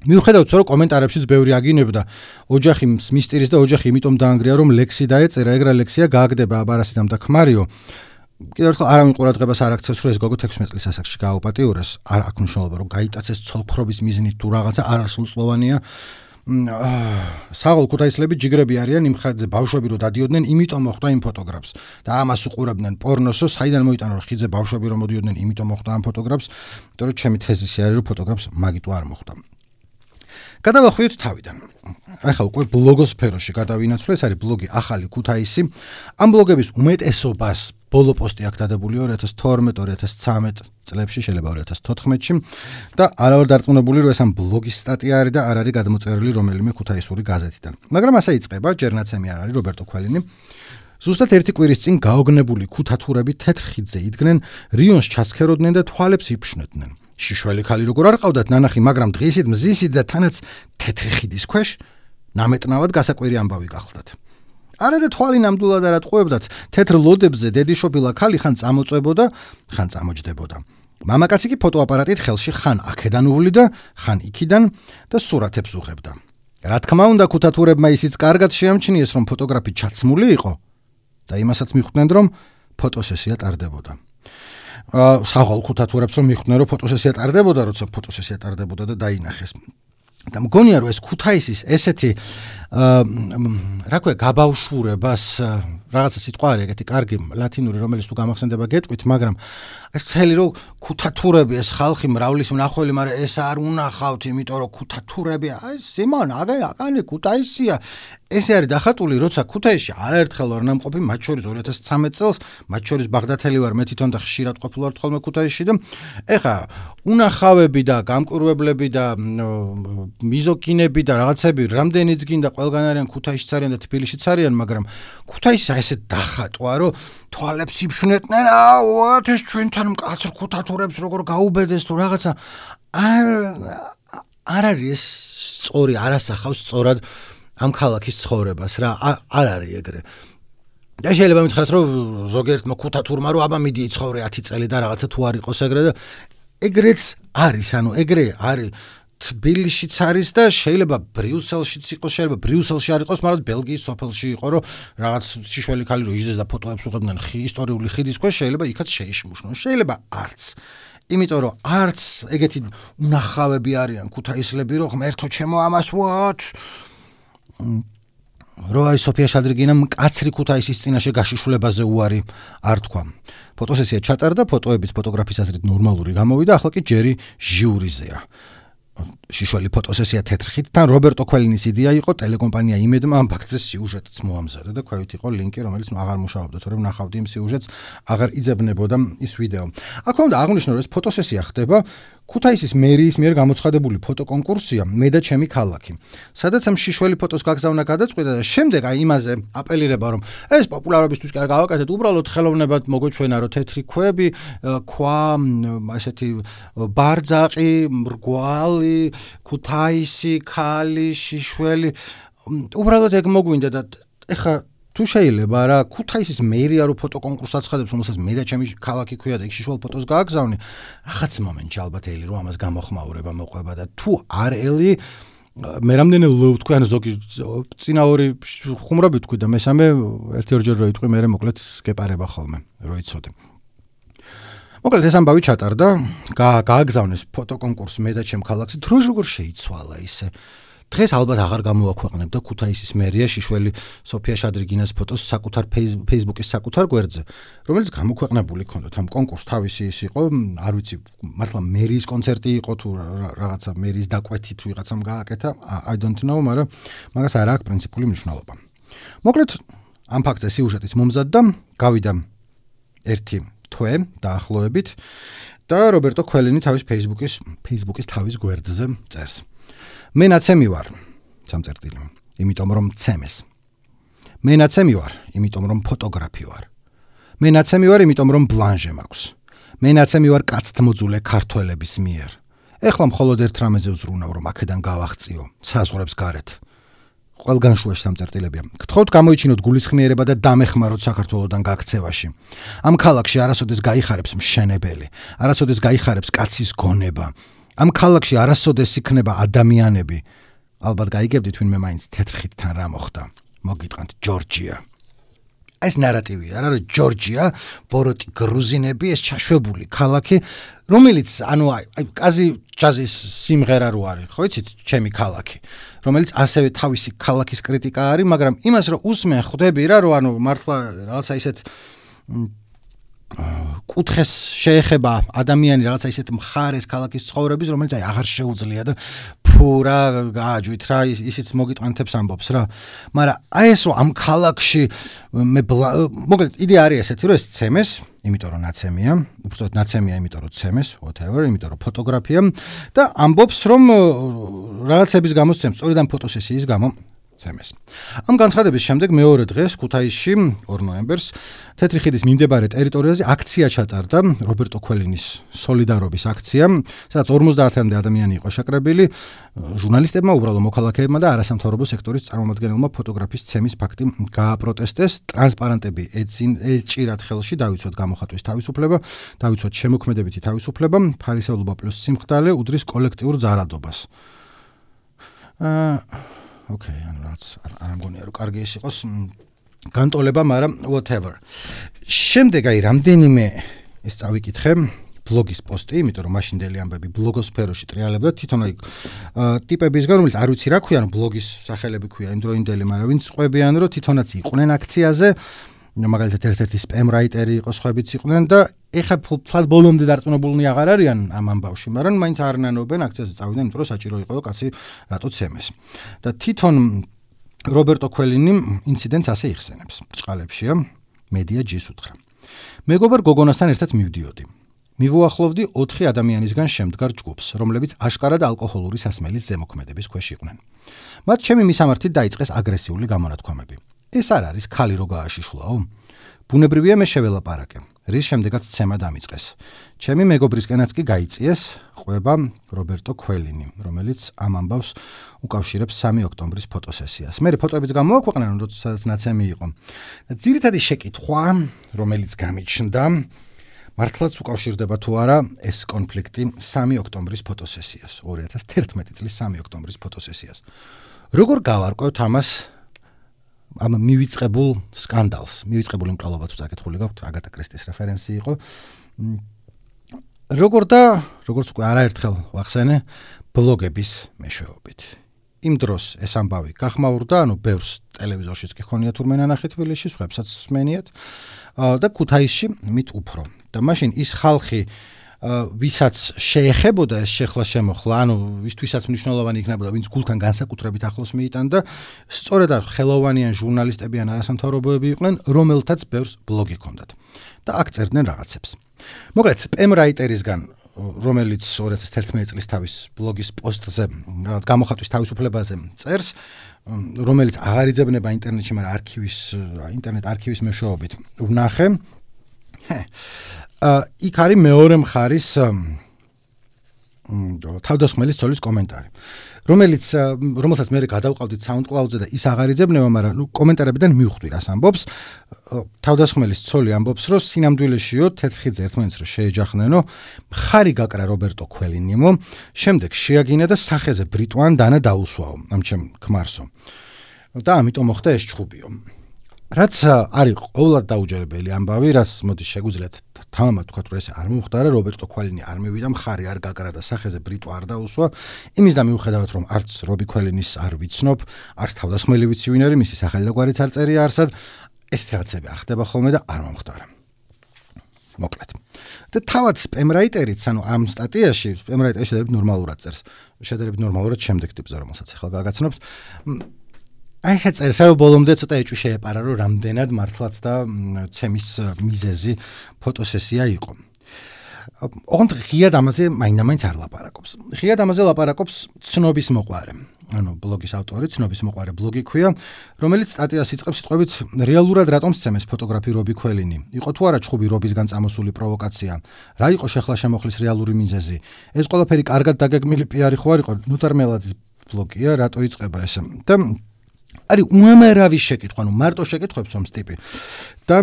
მიუხედავად რომ კომენტარებშიც ბევრი აგინებდა ოჯახი მისტირის და ოჯახი იმიტომ დაანგრია რომ ლექსი დაეწერა, ეგრა ლექსია გააგდება აბარასიდამ და ქმარიო. კიდევ ერთხელ არავინ ყურადღებას არ აქცევს, რომ ეს გოგო თექვსმეტ წლის ასაკში გააუპატიურეს. არ აქვს მნიშვნელობა, რომ გაიტაცეს ცოლქრობის მიზნით თუ რაღაცა არასრულწლოვანია. საღოლ ქუთაისლები ჯიგრები არიან იმ ხაზზე ბავშვები რო დადიოდნენ, იმიტომ მოხდა იმ ფოტოგრაფს და ამას უყურებდნენ პორნოსო, საიდან მოიტანა რომ ხიძე ბავშვები რო მოდიოდნენ, იმიტომ მოხდა ამ ფოტოგრაფს, იმიტომ რომ ჩემი თეზისი არის რომ ფოტოგრაფს მაგიტო არ მოხდა. გადავახვიოთ თავიდან. ახლა უკვე ბლოგოსფეროში გადავინაცვლე, ეს არის ბლოგი ახალი ქუთაისი. ამ ბლოგების უმეტესობას ბოლო პოსტი აქ დადებული ორი ათას თორმეტ ორი ათას ცხრამეტ წლებში, შეიძლება ორი ათას თოთხმეტში და არავარ დარწმუნებული რომ ეს ამ ბლოგის სტატია არის და არ არის გადმოწერილი რომელიმე ქუთაისური გაზეთიდან. მაგრამ ასე იწყება, ჯერნაცემი არ არის რობერტო ქველინი. ზუსტად ერთი კვირის წინ გაოგნებული ქუთათურები თეთრ ხიდზე იდგნენ, რიონს ჩასქეროდნენ და თვალებს იფშნოდნენ. შიშველი ქალი როგორ არ ყავდათ ნანახი, მაგრამ დღისით მზისით და თანაც თეთრი ხიდის ქვეშ ნამეტნავად გასაკვირი ამბავი გახლდათ. არა და თვალი ნამდვილად არ ატყუებდათ, თეთრ ლოდებზე დედიშობილა ქალი ხან წამოწვებოდა, ხან წამოჯდებოდა. მამაკაცი კი ფოტოაპარატით ხელში ხან აქედან უვლიდა, ხან იქიდან და სურათებს უღებდა. რა თქმა უნდა, ქუთათურებმა ისიც კარგად შეამჩნიეს, რომ ფოტოგრაფი ჩაცმული იყო და იმასაც მიხვდნენ, რომ ფოტოსესია ტარდებოდა. საღოლ ქუთათურებს რომ მიხვდნენ, რომ ფოტოსესია ტარდებოდა, როცა ფოტოსესია ტარდებოდა და დაინახეს. და მგონია რომ ეს ქუთაისის ესეთი რა ქვია გაბავშვურებას რაღაცა სიტყვა არის ეგეთი კარგი ლათინური რომელიც თუ გამახსენდება გეტყვით, მაგრამ ეს მთელი რომ ქუთათურები ეს ხალხი მრავლის მნახველი, მაგრამ ეს არ უნახავთ, იმიტომ რომ ქუთათურები აი სიმონ აგე ქუთაისია. ესე არის დახატული, როცა ქუთაისში არაერთხელ ვარ ნამყოფი, მათ შორის ორი ათას ცხრამეტ წელს, მათ შორის ბაღდათელი ვარ, მე თვითონ და ხშირად ყოფილ ვარ ხოლმე ქუთაისში და ეხა უნახავები და გამკურვებლები და მიზოგინები და რაღაცები რამდენიც გინდა ყველგან არიან, ქუთაისშიც არიან და თბილისშიც არიან, მაგრამ ქუთაისს ესე დახატვა, რომ თვალებს იფშვნეტნენ, აუ ეს ჩვენთან მკაცრ ქუთათურებს როგორ გაუბედეს თუ რაღაცა არ არ არის სწორი, არ ასახავს სწორად ამ ქალაქის ცხოვრებას რა, არ არის ეგრე. და შეიძლება მითხრათ, რომ ზოგიერთმა ქუთათურმა რომ აბა მიდი იცხოვრე ათი წელი და რაღაცა თუ არ იყოს ეგრე და ეგრეც არის, ანუ ეგრე არის თბილისშიც არის და შეიძლება ბრიუსელშიც იყოს, შეიძლება ბრიუსელში არ იყოს, მაგრამ ბელგიის სოფელში იყო, რომ რაღაც შიშველი ქალი რო იჯდეს და ფოტოებს უღებდნენ ისტორიული ხიდის ქვეშ, შეიძლება იქაც შეიშმუშნონ, შეიძლება არც. იმიტომ რომ არც ეგეთი უნახავები არიან ქუთაისლები, რომ ღმერთო ჩემო ამას ვოთ. რო აი სოფია შადრიგინამ მკაცრი ქუთაისის წინაშე გაშიშულებაზე უარი არ თქვა. ფოტოსესია ჩატარდა, ფოტოების ფოტოგრაფის აზრით ნორმალური გამოვიდა, ახლა კი ჯერი ჟიურიზეა. შიშველი ფოტოსესია თეთრ ხიდთან, რობერტო ქველინის იდეა იყო, ტელეკომპანია იმედმა ამ ფაქტზე სიუჟეტიც მოამზადა და ქვევით იყო ლინკი, რომელიც აღარ მუშაობდა, თორემ ნახავდი იმ სიუჟეტს, აღარ იძებნებოდა ის ვიდეო. აქვე უნდა აღვნიშნო, რომ ეს ფოტოსესია ხდება ქუთაისის მერიის მიერ გამოცხადებული ფოტოკონკურსია მე და ჩემი ქალაქი. სადაც ამ შიშველი ფოტოს გაგზავნა გადაწყვიტა და შემდეგ აი იმაზე აპელირება, რომ ეს პოპულარობისთვის კი არ გავაკეთეთ, უბრალოდ ხელოვნებად მოგვეჩვენა, რომ თეთრი ქვები, ქვა, ესეთი ბარძაყი, მრგვალი, ქუთაისი, ქალი, შიშველი, უბრალოდ ეგ მოგვინდა და ეხა თუ შეიძლება რა ქუთაისის მერია რო ფოტოკონკურსს აცხადებს, რომელსაც მე და ჩემი ქალაქი ქვია და იქ შიშველ ფოტოს გააგზავნე, რაღაც მომენტში ალბათ ელი რომ ამას გამოხმაურება მოყვება და თუ არ ელი მე რამდენი ლო ვთქვი, ან ზოგი წინა ორი ხუმრობი ვთქვი და მესამე ერთი ორჯერ რო იტყვი, მე მოკლედ გეპარება ხოლმე, რო იცოდე. მოკლედ ეს ამბავი ჩატარდა, გააგზავნეს ფოტოკონკურსს მე და ჩემ ქალაქზე, დრო როგორ შეიცვალა ისე. დღეს ალბათ აღარ გამოაქვეყნებდა ქუთაისის მერია შიშველი სოფია შადრიგინას ფოტოს საკუთარ Facebook-ის საკუთარ გვერდზე, რომელიც გამოქვეყნებული ჰქონდათ. ამ კონკურსს თავისი ის იყო, არ ვიცი, მართლა მერიის კონცერტი იყო თუ რაღაცა მერიის დაკვეთი თუ ვიღაცამ გააკეთა, I don't know, მაგრამ მაგას არ აქვს პრინციპული მნიშვნელობა. მოკლედ ამ ფაქტზე სიუჟეტიც მომზადდა, გავიდა ერთი თვე დაახლოებით და რობერტო ქველინი თავის Facebook-ის Facebook-ის თავის გვერდზე წერს. მე ნაცემი ვარ, სამწერტილი, იმიტომ რომ ცემეს. მე ნაცემი ვარ, იმიტომ რომ ფოტოგრაფი ვარ. მე ნაცემი ვარ, იმიტომ რომ ბლანჟე მაქვს. მე ნაცემი ვარ კაცთმოძულე ქართველების მიერ. ეხლა მხოლოდ ერთ რამეზე ვზრუნავ, რომ აქედან გავაღწიო საზღვრებს გარეთ. ყველგან შუაში სამწერტილებია. გთხოვთ გამოიჩინოთ გულისხმიერება და დამეხმაროთ საქართველოსთან გაქცევაში. ამ ქალაქში არასოდეს გაიხარებს მშენებელი, არასოდეს გაიხარებს კაცის გონება. ამ ქალაქში არასოდეს იქნება ადამიანები. ალბათ გაიგებდით ვინმე მაინც თეთრხიდთან რა მოხდა. მოგიტყანთ ჯორჯია. ეს ნარატივია, არა რომ ჯორჯია, ბოროტი გრუზინები, ეს ჩაშვებული ქალაქი, რომელიც ანუ აი კაზი ჯაზის სიმღერა რო არის, ხო იცით, ჩემი ქალაქი, რომელიც ასევე თავისი ქალაქის კრიტიკა არის, მაგრამ იმას რომ უსმენ ხვდები რა, რომ ანუ მართლა რაღაცა ისეთ კუთხეს შეეხება ადამიანი რაღაცა ისეთ მხარეს ქალაქის ცხოვრების, რომელიც აი აღარ შეუძლია და ფუ რა გააჯვით რა ისიც მოგიტყანთებს ამბობს რა. მაგრამ აი ეს რომ ამ ქალაქში მე მოკლედ იდეა არის ესეთი რომ ეს ცემეს, იმიტომ რომ ნაცემია, უბრალოდ ნაცემია, იმიტომ რომ ცემეს, whatever, იმიტომ რომ ფოტოგრაფია და ამბობს რომ რაღაცების გამო ცემს, სწორედ ამ ფოტოსესიის გამო ცემეს. ამ განცხადების შემდეგ მეორე დღეს ქუთაისში ორ ნოემბერს თეთრი ხიდის მიმდებარე ტერიტორიაზე აქცია ჩატარდა, რობერტო ქველინის სოლიდარობის აქცია, სადაც ორმოცდაათამდე ადამიანი იყო შეკრებილი, ჟურნალისტებმა, უბრალო მოქალაქეებმა და არასამთავრობო სექტორის წარმომადგენელმა ფოტოგრაფის ცემის ფაქტი გააპროტესტეს, ტრანსპარანტები ეჭირათ ხელში დავიცვათ გამოხატვის თავისუფლება, დავიცვათ შემოქმედებითი თავისუფლება, ფარისეულობა პლუს სიმხდალე უდრის კოლექტიურ ზარალდობას. აა Okay, ანუ რაც არ მგონია რომ კარგი ის იყოს განტოლება, მაგრამ whatever. შემდეგ აი რამდენიმე ეს წავიკითხე ბლოგის პოსტი, იმიტომ რომ მაშინდელი ამბები ბლოგოსფეროში ტრიალებდა თვითონ აი ტიპებისგან, რომელიც არ ვიცი რა ქვია, ანუ ბლოგის სახელები ქვია იმდროინდელი, მაგრამ ვინც ყვებიან რომ თვითონაც იყვნენ აქციაზე, მაგალითად ერთ-ერთი სპემ რაიტერი იყო, სხვაებიც იყვნენ და ეხლა ფლად ბოლომდე დარწმუნებულნი აღარ არიან ამ ამბავში, მაგრამ მაინც არ ნანობენ აქციაზე წავიდნენ, იმიტომ რომ საჭირო იყო კაცი რატო ცემეს. და თვითონ რობერტო ქველინი ინციდენტს ასე იხსენებს. ბრჭყალებშია, მედია ჯის უთხრა. მეგობარ გოგონასთან ერთად მივდიოდი. მივუახლოვდი ოთხი ადამიანისგან შემდგარ ჯგუფს, რომლებიც აშკარად ალკოჰოლური სასმელის ზემოქმედების ქვეშ იყვნენ. მათ ჩემი მისამართით დაიწყეს აგრესიული გამონათქვამები. ეს არ არის ქალი რო გააშიშვლაო? ბუნებრივია მე შეველაპარაკე. რის შემდეგაც ცემა დამიწყეს. ჩემი მეგობრისკენაც კი გაიწიეს ყვება რობერტო ქველინი, რომელიც ამ ამბავს უკავშირებს სამი ოქტომბრის ფოტოსესიას. მე ფოტოებიც გამოაქვეყნე, როდესაც ნაცემი იყო. ძირითადი შეკითხვა, რომელიც გამიჩნდა, მართლაც უკავშირდება თუ არა ეს კონფლიქტი სამი ოქტომბრის ფოტოსესიას, ორი ათას თერთმეტი წლის სამი ოქტომბრის ფოტოსესიას. როგორ გავარკვევთ ამას? ამ მივიწყებულ სკანდალს, მივიწყებულ იმკრალობა თუ საკითხული გაქვთ, აგატა კრისტის რეფერენსი იყო. როგორ და როგორც უკვე არაერთხელ ვახსენე, ბლოგების მეშვეობით. იმ დროს ეს ამბავი გახმაურდა, ანუ ბევრს ტელევიზორშიც კი ხონია თურმე ნანახი თბილისში, სხვაებსაც სმენიათ და ქუთაისში მით უფრო. და მაშინ ის ხალხი ვისაც შეეხებოდა ეს შეხლა შემოხლა, ანუ ვისთვისაც მნიშვნელოვანი იქნებოდა, ვინც გულთან განსაკუთრებით ახლოს მიიტანდა, სწორედ არ ხელოვანიან ჟურნალისტები ან არასამთავრობოები იყვნენ, რომელთაც ბევრს ბლოგი ჰქონდათ და აქ წერდნენ რაღაცებს. მოკლედ, სპემ რაიტერისგან, რომელიც ორი ათას თერთმეტი წლის თავის ბლოგის პოსტზე, რაღაც გამოხატვის თავისუფლებაზე წერს, რომელიც აღარ იძებნება ინტერნეტში, მაგრამ არქივის, ინტერნეტ არქივის მეშვეობით ვნახე. იქ არის მეორე მხარის თავდასხმელი ცოლის კომენტარი, რომელიც რომელსაც მე გადავყავდით SoundCloud-ზე და ის აღარ იძებნება, მაგრამ ნუ კომენტარებიდან მივხვდი რას ამბობს. თავდასხმელის ცოლი ამბობს, რომ სინამდვილეშიო თეთრხიდზე ერთმანეთს რო შეეჯახნენო, მხარი გაკრა რობერტო ქველინიმო, შემდეგ შეაგინა და სახეზე ბრიტვან დანა დაუსვაო ამ ჩემ ქმარსო. და ამიტომ მოხდა ეს ჩხუბიო. რაც არის ყოველად დაუჯერებელი ამბავი, რაც მოდი შეგვიძლიათ თამამად თქვა, რომ ეს არ მომხდარა, რობერტო ქველინი არ მივიდა, მხარი არ გაკრა და სახეზე ბრიტვა არ დაუსვა. იმის და მიუხედავად, რომ არც რობი ქველინის არ ვიცნობ, არც თავდასხმელი ვიცი ვინ არის, მისი სახელი და გვარიც არ წერია არსად, ესეთი რაღაცები არ ხდება ხოლმე და არ მომხდარა. მოკლედ. და თავად სპემ რაიტერიც, ანუ ამ სტატიაში, სპემ რაიტერი შედარებით ნორმალურად წერს. შედარებით ნორმალურად შემდეგ ტიპზე, რომელსაც ახლა გაგაცნობთ. აი ეს წერს, რომ ბოლომდე ცოტა ეჭვი შეეპარა, რომ რამდენად მართლაც და ცემის მიზეზი ფოტოსესია იყო. ოღონდ ღიად ამაზე მაინდა-მაინც არ ლაპარაკობს. ღიად ამაზე ლაპარაკობს ცნობის მოყვარე. ანუ ბლოგის ავტორი, ცნობის მოყვარე ბლოგი ქვია, რომელიც სტატიას იწყებს სიტყვებით რეალურად რატომ სცემეს ფოტოგრაფი რობი ქველინი. იყო თუ არა ჩხუბი რობისგან წამოსული პროვოკაცია? რა იყო შეხლა შემოხლის რეალური მიზეზი? ეს ყველაფერი კარგად დაგეგმილი პიარი ხო არ იყო? ნუთარ მელაძის ბლოგია, რატო იწყება ეს? და არის უამრავი შეკითხვა, ну მარტო შეკითხვებს ომს ტიპი. და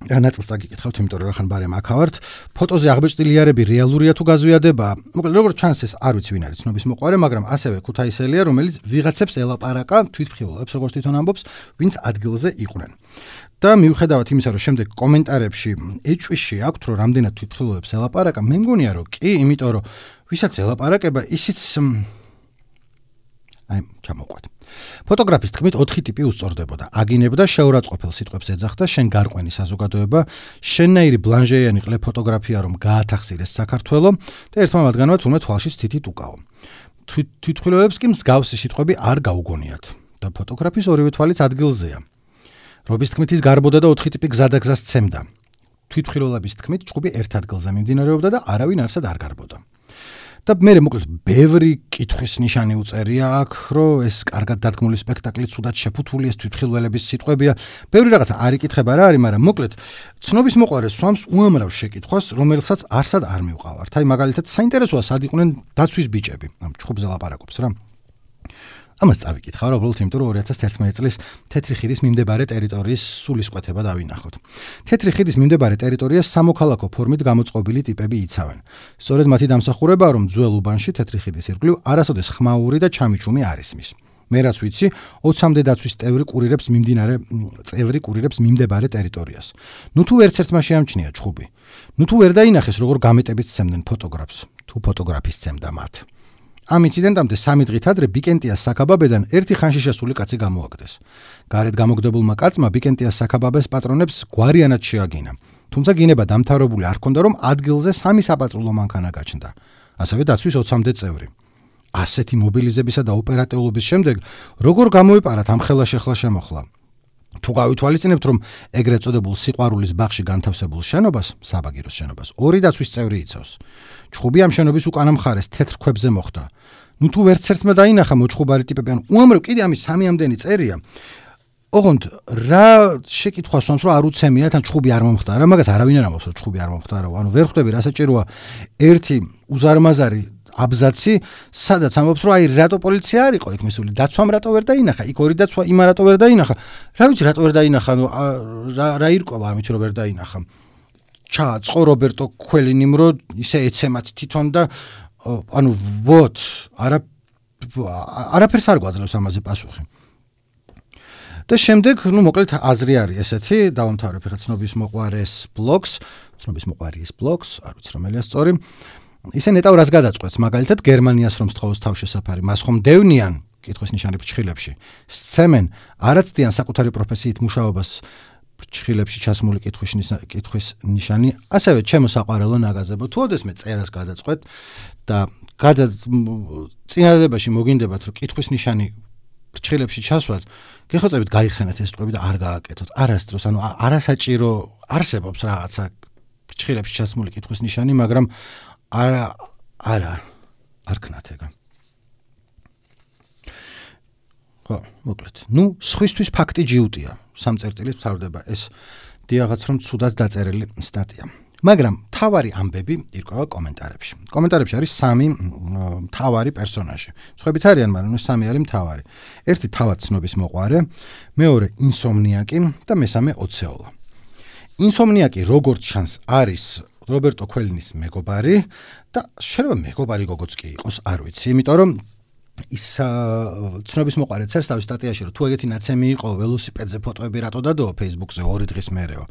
ნაწილს წაგიკითხავთ, იმიტომ რომ ხან ბარემ აქავართ. ფოტოზე აღბეჭდილი იარები რეალურია თუ გაზვიადება? მოკლედ, როგორც ჩანს ეს არ ვიცი ვინ არის ცნობის მოყვარე, მაგრამ ასევე ქუთაისელია, რომელიც ვიღაცებს ელაპარაკა თვითმხილველებს, როგორც თვითონ ამბობს, ვინც ადგილზე იყვნენ. და მიუხედავად იმისა, რომ შემდეგ კომენტარებში ეჭვიში აქვთ, რომ რამდენად თვითმხილველებს ელაპარაკა, მე მგონია, რომ კი, იმიტომ რომ ვისაც ელაპარაკება, ისიც აი, ჩამოვყვეთ. ფოტოგრაფის თქმით ოთხი ტიპი უსწორდებოდა. აგინებდა, შეურაცხყოფელ სიტყვებს ეძახდა, შენ გარყვენი საზოგადოება, შენნაირი ბლანჟეიანი ყლე ფოტოგრაფია, რომ გაათახსირეს საქართველო და ერთმა მათგანმა თურმე თვალშიც თითით უკაო. თვითმხილველებს კი მსგავსი სიტყვები არ გაუგონიათ და ფოტოგრაფის ორივე თვალიც ადგილზეა. რობის თქმით ის გარბოდა და ოთხი ტიპი გზადაგზას სცემდა. თვითმხილველების თქმით ჩხუბი ერთ ადგილზე მიმდინარეობდა და არავინ არსად არ გარბოდა. და მე მოკლედ ბევრი კითხვის ნიშანი უწერია აქ, რომ ეს კარგად დადგმული სპექტაკლი ცუდად შეფუთული, ეს თვითმხილველების სიტყვებია. ბევრი რაღაცა არ იკითხება რა არის, მაგრამ მოკლედ ცნობის მოყვარე სვამს უამრავ შეკითხვას, რომელსაც არსად არ მივყავართ. აი მაგალითად საინტერესოა სად იყვნენ დაცვის ბიჭები, ამ ჩხუბზე ლაპარაკობს რა. ამას წავიკითხავ რა, უბრალოდ იმიტომ რომ ორი ათას ერთმანეტ წლის თეთრი ხიდის მიმდებარე ტერიტორიის სულისკვეთება დავინახოთ. თეთრი ხიდის მიმდებარე ტერიტორიას სამოქალაქო ფორმით გამოწყობილი ტიპები იცავენ. სწორედ მათი დამსახურებაა, რომ ძველ უბანში თეთრი ხიდის ირგვლივ არასოდეს ხმაური და ჩამიჩუმი არ ისმის. მე რაც ვიცი, ოცამდე დაცვის წევრი კურირებს მიმდინარე წევრი კურირებს მიმდებარე ტერიტორიას. ნუ თუ ერთ ერთმა შეამჩნია ჩხუბი. ნუ თუ ვერ დაინახეს როგორ გამეტებით სცემდნენ ფოტოგრაფს, თუ ფოტოგრაფი სცემდა მათ. ამ ინციდენტამდე სამი დღით ადრე ბიკენტიას საქაბაბედან ერთი ხანში შესული კაცი გამოაგდეს. გარეთ გამოგდებულმა კაცმა ბიკენტიას საქაბაბეს პატრონებს გვარიანად შეაგინა. თუმცა გინება დამთავრებული არ ჰქონდა, რომ ადგილზე სამი საპატრულო მანქანა გაჩნდა. ასევე დაცვის ოცამდე წევრი. ასეთი მობილიზებისა და ოპერატიულობის შემდეგ როგორ გამოიპარათ ამ ხელა შეხლა შემოხლა? თუ გავითვალისწინებთ, რომ ეგრეთ წოდებულ სიყვარულის ბაღში განთავსებულ შენობას, საბაგიროს შენობას, ორი დაცვის წევრი იცავს. ჩხუბი ამ შენობის უკანა მხარეს თეთრ ქვებზე მოხვდა. ნუ თუ ვერც ერთმა დაინახა მოჩხუბარი ტიპები, ან უამრავ კიდე ამის სამი ამდენი წერია. ოღონდ რა შეკითხვა სვამს, რომ არ უცემიათ, ან ჩხუბი არ მომხდარა, მაგას არავინ არ ამბობს, რომ ჩხუბი არ მომხდარა. ანუ ვერ ხვდები რა საჭიროა ერთი უზარმაზარი აბზაცი, სადაც ამბობს, რომ აი რატო პოლიცია არ იყო იქ მისული, დაცვამ რატო ვერ დაინახა, იქ ორი დაცვა იმა რატო ვერ დაინახა. რა ვიცი, რატო ვერ დაინახა, ნუ რა რა ირკვევა ამით რომ ვერ დაინახა. ჩააწყო რობერტო ქველინიმ, რომ ისე ეცემათ თვითონ და ანუ ვოთ, არა არაფერს არ გვაძლევს ამაზე პასუხი. და შემდეგ, ნუ მოკლედ აზრი არის ესეთი, დავამთავრებ ხა ცნობის მოყვარეს ბლოგს, ცნობის მოყვარის ბლოგს, არ ვიცი რომელია სწორი. ისე ნეტავ რას გადაწყვეტს, მაგალითად გერმანიას რომ სწხოვს თავშესაფარი, მას ხომ დევნიან კითხვის ნიშანი ფრჩხილებში. სცემენ არაცდიან საკუთარი პროფესიით მუშაობას ფრჩხილებში ჩასმული კითხვის კითხვის ნიშანი, ასევე ჩემო საყვარელო ნაგაზებო, თუ ოდესმე წერას გადაწყვეტ და გადა წინადადებაში მოგინდებათ, რომ კითხვის ნიშანი ფრჩხილებში ჩასვათ, გეხოცებით გაიხსენეთ ეს სიტყვები და არ გააკეთოთ. არასდროს, ანუ არასაჭირო არსებობს რაღაცა ფრჩხილებში ჩასმული კითხვის ნიშანი, მაგრამ არა არა არ ქნათ ეგა. ხო, მოკლედ. ნუ სხვისთვის ფაქტი ჯიუტია. სამ წერტილით ვთავრდება ეს დიაღაც რომ ცუდად დაწერილი სტატია. მაგრამ თავარი ამბები ირკვევა კომენტარებში. კომენტარებში არის სამი თავარი პერსონაჟი. სხვაებიც არიან, მაგრამ ეს სამი არის მთავარი. ერთი თავად ცნობის მოყვარე, მეორე ინსომნიაკი და მესამე ოცეოლა. ინსომნიაკი როგორც ჩანს არის რობერტო ქველინის მეგობარი და შეიძლება მეგობარი გოგოც კი იყოს, არ ვიცი, იმიტომ რომ ის ცნობის მოყვარე წერს თავის სტატიაში, რომ თუ ეგეთი ნაცემი იყო ველოსიპედზე ფოტოები რატო დადო Facebook-ზე ორი დღის მერეო.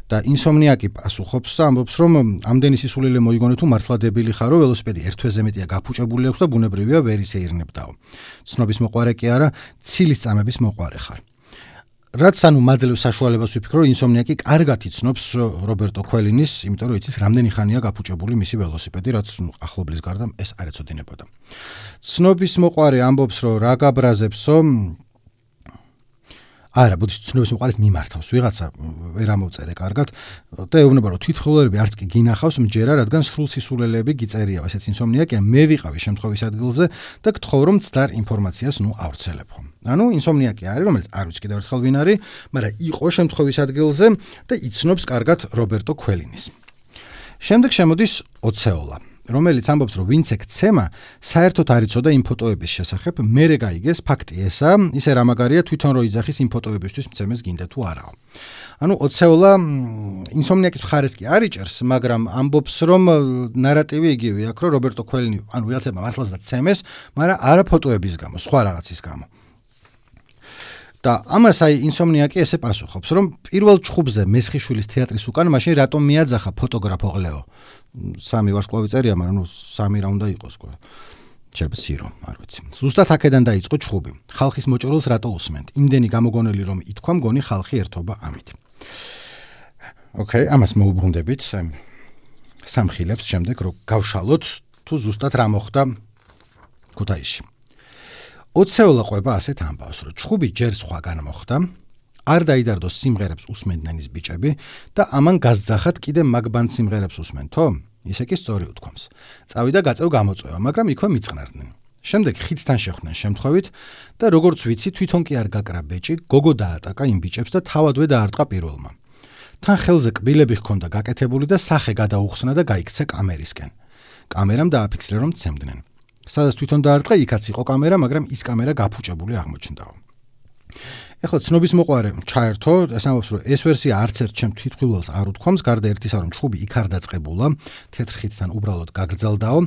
და ინსომნიაკი პასუხობს და ამბობს, რომ ამდენი სისულელე მოიგონე თუ მართლა დებილი ხარო, ველოსიპედი ერთ თვეზე მეტია გაფუჭებული აქვს და ბუნებრივია ვერ ისეირნებდაო. ცნობის მოყვარე კი არა, ცილის წამების მოყვარე ხარ. რაც ანუ მაძლევს საშუალებას ვიფიქრო, რომ ინსომნიაკი კარგად იცნობს რობერტო ქველინის, იმიტომ რომ იცის რამდენი ხანია გაფუჭებული მისი ველოსიპედი, რაც ახლობლის გარდა ეს არ ეცოდინებოდა. ცნობის მოყვარე ამბობს, რომ რა გაბრაზებსო, არა, ბოდიში ცნობის მოყარის მიმართავს ვიღაცა ვერ ამოვწერე კარგად და ეუბნება რომ თვითმხილველები არც კი გინახავს მჯერა, რადგან სრულ სისულელეები გიწერია, ესეც ინსომნიაკია, მე ვიყავი შემთხვევის ადგილზე და გთხოვ რომ მცდარ ინფორმაციას ნუ ავრცელებო. ანუ ინსომნიაკი არის, რომელიც არ ვიცი კიდევ ერთხელ ვინ არის, მაგრამ იყო შემთხვევის ადგილზე და იცნობს კარგად რობერტო ქველინის. შემდეგ შემოდის ოცეოლა, რომელიც ამბობს, რომ ვინც ეგ ცემა საერთოდ არ იცოდა იმ ფოტოების შესახებ, მერე გაიგეს ფაქტი ესა, ისე რა მაგარია თვითონ რო იძახის იმ ფოტოებისთვის მცემეს გინდა თუ არაო. ანუ ოცეოლა ინსომნიაკის მხარეს კი არ იჭერს, მაგრამ ამბობს, რომ ნარატივი იგივე აქვს, რომ რობერტო ქველინი, ანუ ვიღაცებმა მართლაც და ცემეს, მაგრამ არა ფოტოების გამო, სხვა რაღაცის გამო. და ამას აი ინსომნიაკი ესე პასუხობს, რომ პირველ ჩხუბზე მესხიშვილის თეატრის უკან მაშინ რატომ მიაძახა ფოტოგრაფ ოღლეო. სამი ვარსკვლავი წერია, მაგრამ ნუ სამი რა უნდა იყოს ყო. შეიძლება სირო, არ ვიცი. ზუსტად აქედან დაიწყო ჩხუბი. ხალხის მოჭრილს რატო უსმენთ? იმდენი გამოგონელი რომ ითქვა მგონი ხალხი ერთობა ამით. ოკეი, ამას მოუბრუნდებით. სამხილებს შემდეგ რომ გავშალოთ თუ ზუსტად რა მოხდა ქუთაისში. ოცეოლა ყვება ასეთ ამბავს, რომ ჩხუბი ჯერ სხვაგან მოხდა, არ დაიდარდოს სიმღერებს უსმენდნენ ის ბიჭები და ამან გასძახათ კიდე მაგბან სიმღერებს უსმენთო? ისე კი სწორი უთქვამს. წავიდა გაწევ გამოწვევა, მაგრამ იქვე მიწყნარდნენ. შემდეგ ხიდთან შეხვდნენ შემთხვევით და როგორც ვიცი, თვითონ კი არ გაკრა ბეჭი, გოგო დაატაკა იმ ბიჭებს და თავადვე დაარტყა პირველმა. თან ხელზე კბილები ჰქონდა გაკეთებული და სახე გადაუხსნა და გაიქცა კამერისკენ. კამერამ დააფიქსირა რომ ცემდნენ. სადაც თვითონ დაარტყა, იქაც იყო კამერა, მაგრამ ის კამერა გაფუჭებული აღმოჩნდაო. ეხლა ცნობის მოყვარე ჩაერთო, ეს ამბობს, რომ ეს ვერსია არც ერთ ჩემ თვითმხილველს არ უთქვამს, გარდა ერთისა, რომ ჩხუბი იქ არ დაწყებულა, თეთრ ხიდთან უბრალოდ გაგრძელდაო.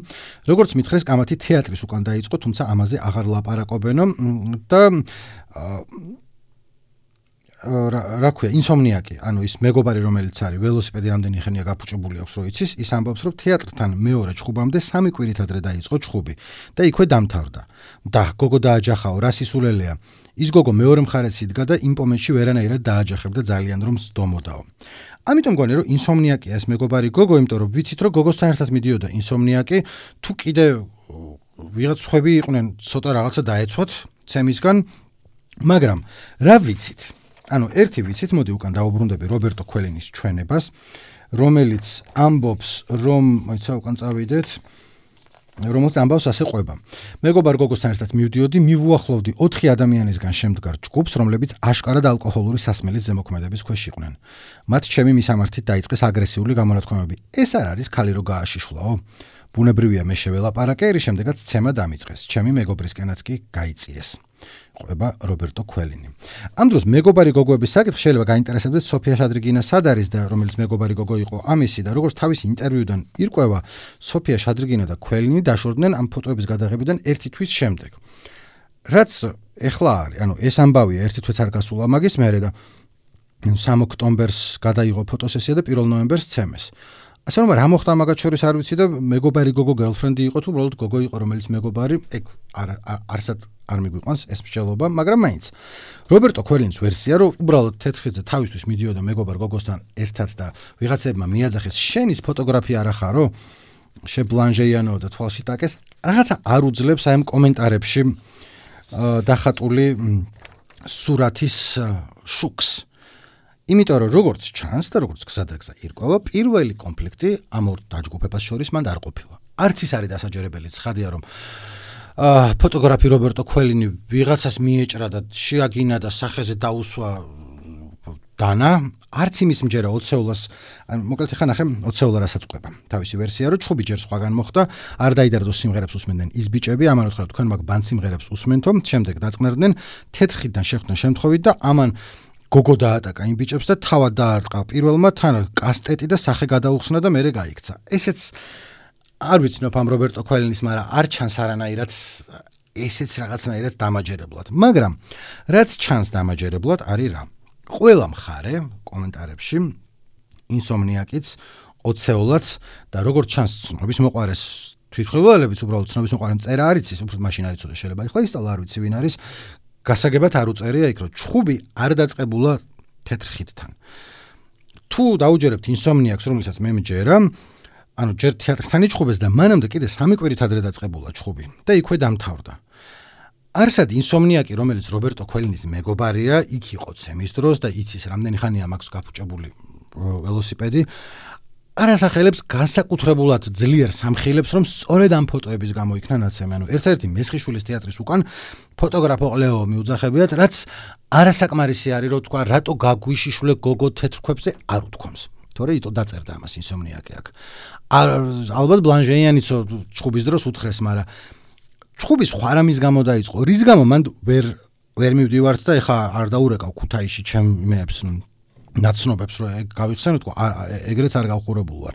როგორც მითხრეს, კამათი თეატრის უკან დაიწყო, თუმცა ამაზე აღარ ლაპარაკობენო და რა ქვია, ინსომნიაკი, ანუ ის მეგობარი, რომელიც არის, ველოსიპედი რამდენი ხანია გაფუჭებული აქვს, რო იცის, ის ამბობს, რომ თეატრთან მეორე ჩხუბამდე სამი კვირით ადრე დაიწყო ჩხუბი და იქვე დამთავრდა. და გოგო დააჯახაო, რა სისულელეა. ის გოგო მეორე მხარეს იდგა და იმ პომენტში ვერანაირად დააჯახებდა ძალიან რომ სდომოდაო. ამიტომ მგონი რომ ინსომნიაკია ეს მეგობარი გოგო, იმიტომ რომ ვიცით რომ გოგოსთან ერთად მიდიოდა ინსომნიაკი, თუ კიდე ვიღაც ხვები იყვნენ, ცოტა რაღაცა დაეცვათ ცემისგან, მაგრამ რა ვიცით? ანუ ერთი ვიცით, მოდი უკან დავუბრუნდები რობერტო ქველინის ჩვენებას, რომელიც ამბობს, რომ მოიცა უკან წავიდეთ, რომელიც ამბავს ასე ყვება. მეგობარ გოგოსთან ერთად მივდიოდი, მივუახლოვდი ოთხი ადამიანისგან შემდგარ ჯგუფს, რომლებიც აშკარად ალკოჰოლური სასმელის ზემოქმედების ქვეშ იყვნენ. მათ ჩემი მისამართით დაიწყეს აგრესიული გამონათქვამები. ეს არ არის ქალი რო გააშიშვლაო? ბუნებრივია მე შეველაპარაკე, რის შემდეგაც ცემა დამიწყეს. ჩემი მეგობრისკენაც კი გაიწიეს. ყვება რობერტო ქველინი. ამ დროს მეგობარი გოგოების საკითხი შეიძლება გაინტერესებდეს სოფია შადრიგინა სად არის და რომელიც მეგობარი გოგო იყო ამისი და როგორც თავის ინტერვიუდან ირკვევა, სოფია შადრიგინა და ქველინი დაშორდნენ ამ ფოტოების გადაღებიდან ერთი თვის შემდეგ. რაც ეხლა არის, ანუ ეს ამბავია ერთი თვით არ გასულა მაგის მერე და სამი ოქტომბერს გადაიღო ფოტოსესია და პირველ ნოემბერს ცემეს. ასე რომ რა მოხდა მაგათ შორის არ ვიცი და მეგობარი გოგო გერლფრენდი იყო თუ უბრალოდ გოგო იყო, რომელიც მეგობარი, ეგ არ არსად არ მიგვიყვანს ეს მსჯელობა, მაგრამ მაინც რობერტო ქველინის ვერსია, რომ უბრალოდ თეთრხიდზე თავისთვის მიდიოდა მეგობარ გოგოსთან ერთად და ვიღაცებმა მიაძახეს, შენის ფოტოგრაფია არა ხარო? შებლანჟეიანო და თვალში ტაკეს, რაღაცა არ უძლებს აი ამ კომენტარებში დახატული სურათის შუქს. იმიტომ რომ როგორც ჩანს და როგორც გზადაგზა ირკვევა, პირველი კონფლიქტი ამ ორ დაჯგუფებას შორის მანდ არ ყოფილა. არც ის არის დასაჯერებელი, ცხადია რომ აა ფოტოგრაფი რობერტო ქველინი ვიღაცას მიეჭრა და შეაგინა და სახეზე დაუსვა დანა, არც იმის მჯერა ოცეოლას, ან მოკლედ ხა ნახე ოცეოლა რასაც ყვება. თავისი ვერსია რომ ჩხუბი ჯერ სხვაგან მოხდა, არ დაიდარდოს სიმღერებს უსმენდნენ ის ბიჭები, ამან უთხრა თქვენ მაგ ბან სიმღერებს უსმენთო, შემდეგ დაწყნარდნენ თეთრხიდთან შეხვდნენ შემთხვევით და ამან გოგო დაატაკა იმ ბიჭებს და თავად დაარტყა პირველმა, თან კასტეტი და სახე გადაუხსნა და მერე გაიქცა. ესეც არ ვიცნობ ამ რობერტო ქველინის, მაგრამ არ ჩანს არანაირად ესეც რაღაცნაირად დამაჯერებლად. მაგრამ რაც ჩანს დამაჯერებლად არის რა. ყველა მხარე კომენტარებში ინსომნიაკიც, ოცეოლაც და როგორც ჩანს ცნობის მოყვარეს თვითმხილველებიც, უბრალოდ ცნობის მოყვარემ წერა არ იცის, უფრო მაშინ არ იცოდა, შეიძლება ეხლა ისწავლა, არ ვიცი ვინ არის. გასაგებად არ უწერია იქ, რომ ჩხუბი არ დაწყებულა თეთრ ხიდთან. თუ დაუჯერებთ ინსომნიაკს, რომელსაც მე მჯერა, ანუ ჯერ თეატრთან იჩხუბეს და მანამდე კიდე სამი კვირით ადრე დაწყებულა ჩხუბი და იქვე დამთავრდა. არსად ინსომნიაკი, რომელიც რობერტო ქუელინის მეგობარია, იქ იყო ცემის დროს და იცის რამდენი ხანია მაქვს გაფუჭებული ველოსიპედი. არასახელებს განსაკუთრებულად ძლიერ სამხილებს, რომ სწორედ ამ ფოტოების გამო იქნა ნაცემი. ანუ ერთ-ერთი მესხიშვილის თეატრის უკან ფოტოგრაფო ყლეო მიუძახებიათ, რაც არასაკმარისი არის, რომ თქვა, რატო გაგვიშიშვლე გოგო თეთრ ქვებზე არ უთქვამს. თორე იტო დაწერდა ამას ინსომნიაკი აქ. ალბათ ბლანჟეიანიც ჩხუბის დროს უთხრეს, მაგრამ ჩხუბი სხვა რამის გამო დაიწყო. რის გამო მან ვერ ვერ მივდივართ და ეხა არ დაურეკავ ქუთაისში ჩემ იმეებს ნაცნობებს რომ გავიხსენო თქო ეგრეც არ გავხურებულ ვარ.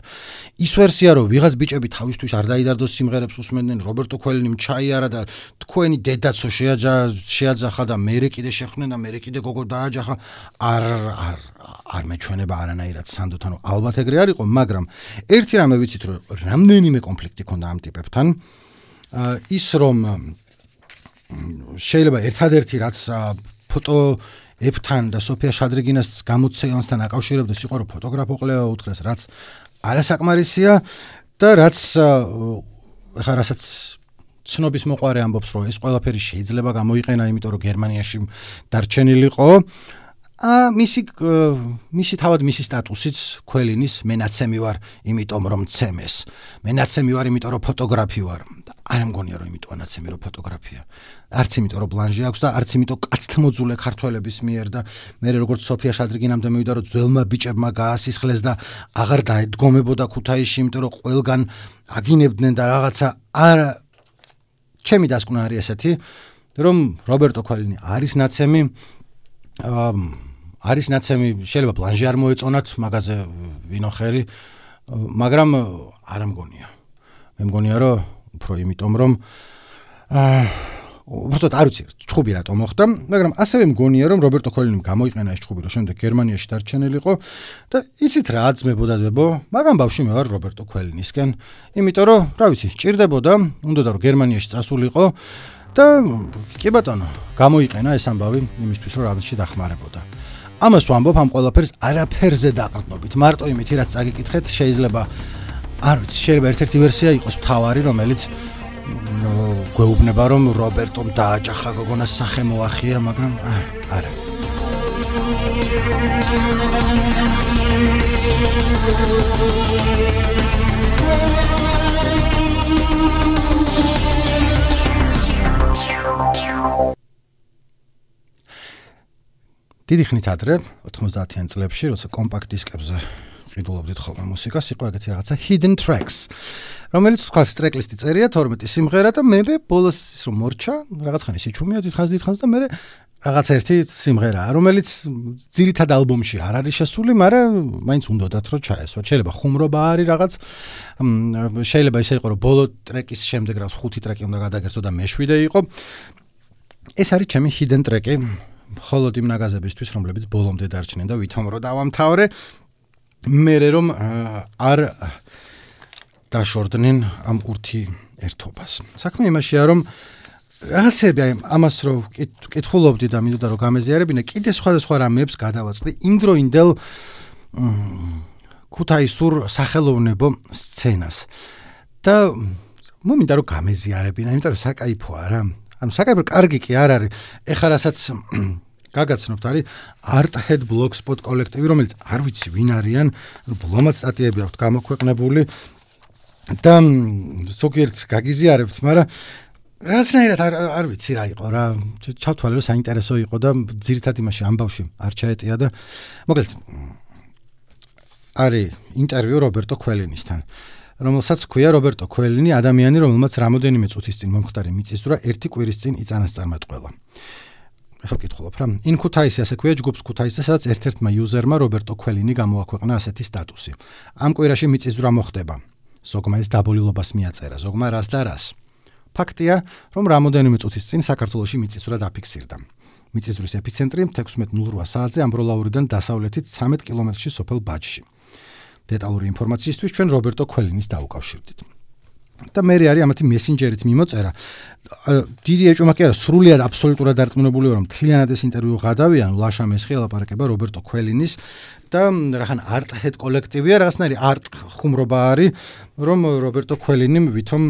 ის ვერსია რომ ვიღაც ბიჭები თავისთვის არ დაიდარდოს სიმღერებს უსმენდნენ, რობერტო ქუელინი ჩაიარა და თქვენი დედაცო შეაძახა და მერე კიდე შეხვდნენ და მერე კიდე გოგო დააჯახა, არ არ არ მეჩვენება არანაირად სანდოთ, ანუ ალბათ ეგრე არ იყო, მაგრამ ერთი რამე ვიცით რომ რამდენიმე კონფლიქტი ქონდა ამ ტიპებთან. ის რომ შეიძლება ერთადერთი რაც ფოტო ებთან და სოფია შადრიგინას გამოცემასთან აკავშირებდეს იყო რომ ფოტოგრაფო ყლეო უთხრეს, რაც არასაკმარისია და რაც ეხლა რასაც ცნობის მოყარე ამბობს რომ ეს ყველაფერი შეიძლება გამოიყენა, იმიტომ რომ გერმანიაში დარჩენილიყო. ა მისი მისი თავად მისი სტატუსიც ქუელინის მენაცემი ვარ, იმიტომ რომ ცემეს. მენაცემი ვარ, იმიტომ რომ ფოტოგრაფი ვარ. არ მგონია რომ იმიტომ ანაცემი რომ ფოტოგრაფია. არც იმიტომ რომ ბლანჟე აქვს და არც იმიტომ კაცთმოძულე ქართველების მიერ და მე როგორც სოფია შადრიგინამდე მივიდა რომ ძველმა ბიჭებმა გაასისხლეს და აღარ დაედგომებოდა ქუთაისში, იმიტომ რომ ყველგან აგინებდნენ და რაღაცა არ ჩემი დასკვნა არის ესეთი, რომ რობერტო ქუელინი არის ნაცემი, არის ნაცემი, შეიძლება ბლანჟე არ მოეწონათ მაგაზე ვინოხერი, მაგრამ არ მგონია. მე მგონია რომ უფრო იმიტომ რომ აა უბრალოდ არ ვიცი ჩხუბი რატომ მოხდა, მაგრამ ასევე მგონია რომ რობერტო ქუელინიმ გამოიყენა ეს ჩხუბი, რომ შემდეგ გერმანიაში დარჩენილიყო და იცით რა აწმებოდა დებო, მაგრამ ბავშვი მე ვარ რობერტო ქუელინისკენ, იმიტომ რომ რა ვიცი ჭირდებოდა, უნდა რომ გერმანიაში წასულიყო და კი ბატონო, გამოიყენა ეს ამბავი იმისთვის რომ რაღაცში დახმარებოდა. ამას ვამბობ ამ ყველაფერს არაფერზე დაყრდნობით, მარტო იმითი რაც წაგიკითხეთ, შეიძლება არ ვიცი, შეიძლება ერთ-ერთი ვერსია იყოს მთავარი, რომელიც გვეუბნება რომ რობერტომ დააჭახა გოგონას სახე მოახია, მაგრამ არა. დიდი ხნით ადრე ოთხმოცდაათიან წლებში, როცა კომპაქტ დისკებზე ყიდულობდით ხოლმე მუსიკას, იყო ეგეთი რაღაცა hidden tracks, რომელიც თქვა ტრეკლისტი წერია თორმეტი სიმღერა და მე ბოლოს ის რომ მორჩა, რაღაც ხანი შეჩუმია დიდხანს დიდხანს და მე რაღაც ერთი სიმღერაა, რომელიც ძირითად ალბომში არ არის შესული, მაგრამ მაინც უნდათ რომ ჩაესვა. შეიძლება ხუმრობა არის რაღაც, შეიძლება ისე იყო რომ ბოლო ტრეკის შემდეგ რაღაც ხუთი ტრეკი უნდა გადაგერთო და მეშვიდე იყო. ეს არის ჩემი hidden track-ი მხოლოდ იმ ნაგაზებისთვის, რომლებიც ბოლომდე დარჩნენ და ვითომ რომ დავამთავრე, მერე რომ არ დაშორდნენ ამ ურთი ერთობას. საქმე იმაშია, რომ რაღაცები აი ამას რომ კითხულობდი და მინდოდა რომ გამეზიარებინა, კიდე სხვადასხვა რამეებს გადავაწყდი იმდროინდელ ქუთაისურ სახელოვნებო სცენას. და მომინდა რომ გამეზიარებინა, იმიტომ რომ საკაიფოა რა. ანუ საკაიფო კარგი კი არ არის. ეხლა რასაც გაგაცნობთ არის Arthead Blogspot კოლექტივი, რომელიც არ ვიცი ვინ არიან, ბლომად სტატიები აქვს გამოქვეყნებული და ზოგიერთს გაგიზიარებთ, მაგრამ რაღაცნაირად არ არ ვიცი რა იყო რა, ჩავთვალე რომ საინტერესო იყო და ძირითადად იმაში ამბავში არ ჩაეტია და მოკლედ არის ინტერვიუ რობერტო ქუელინისთან, რომელსაც ქვია რობერტო ქუელინი, ადამიანი, რომელმაც რამოდენიმე წუთის წინ მომხდარი მიწისძვრა ერთი კვირის წინ იწანას წარმატყველა. ახლა ვკითხულობ რა. In Kutaisi ასე ქვია ჯგუფს Kutaisi, სადაც ერთ-ერთმა იუზერმა რობერტო ქუელინი გამოაქვეყნა ასეთი სტატუსი. ამ კვირაში მიწისძვრა მოხდება. ზოგმა ეს დაბოლილობას მიაწერა, ზოგმა რას და რას. ფაქტია, რომ რამოდენიმე წუთის წინ საქართველოში მიწისძვრა დაფიქსირდა. მიწისძვრის ეპიცენტრი თექვსმეტ ნულ რვა საათზე ამბროლაურიდან დასავლეთით ცამეტ კილომეტრში სოფელ ბაჯში. დეტალური ინფორმაციისთვის ჩვენ რობერტო ქუელინის დაუკავშირდით. და მე არის ამათი მესენჯერით მიმოწერა. დიდი ეჭვმა კი არა, სრულიად აბსოლუტურად დარწმუნებული ვარ, რომ მთლიანად ეს ინტერვიუ გადავიან, ლაშა მესხი ელაპარაკება რობერტო ქუელინის და რახან Arthead კოლექტივია, რაღაცნაირი არტ ხუმრობა არის, რომ რობერტო ქუელინიმ ვითომ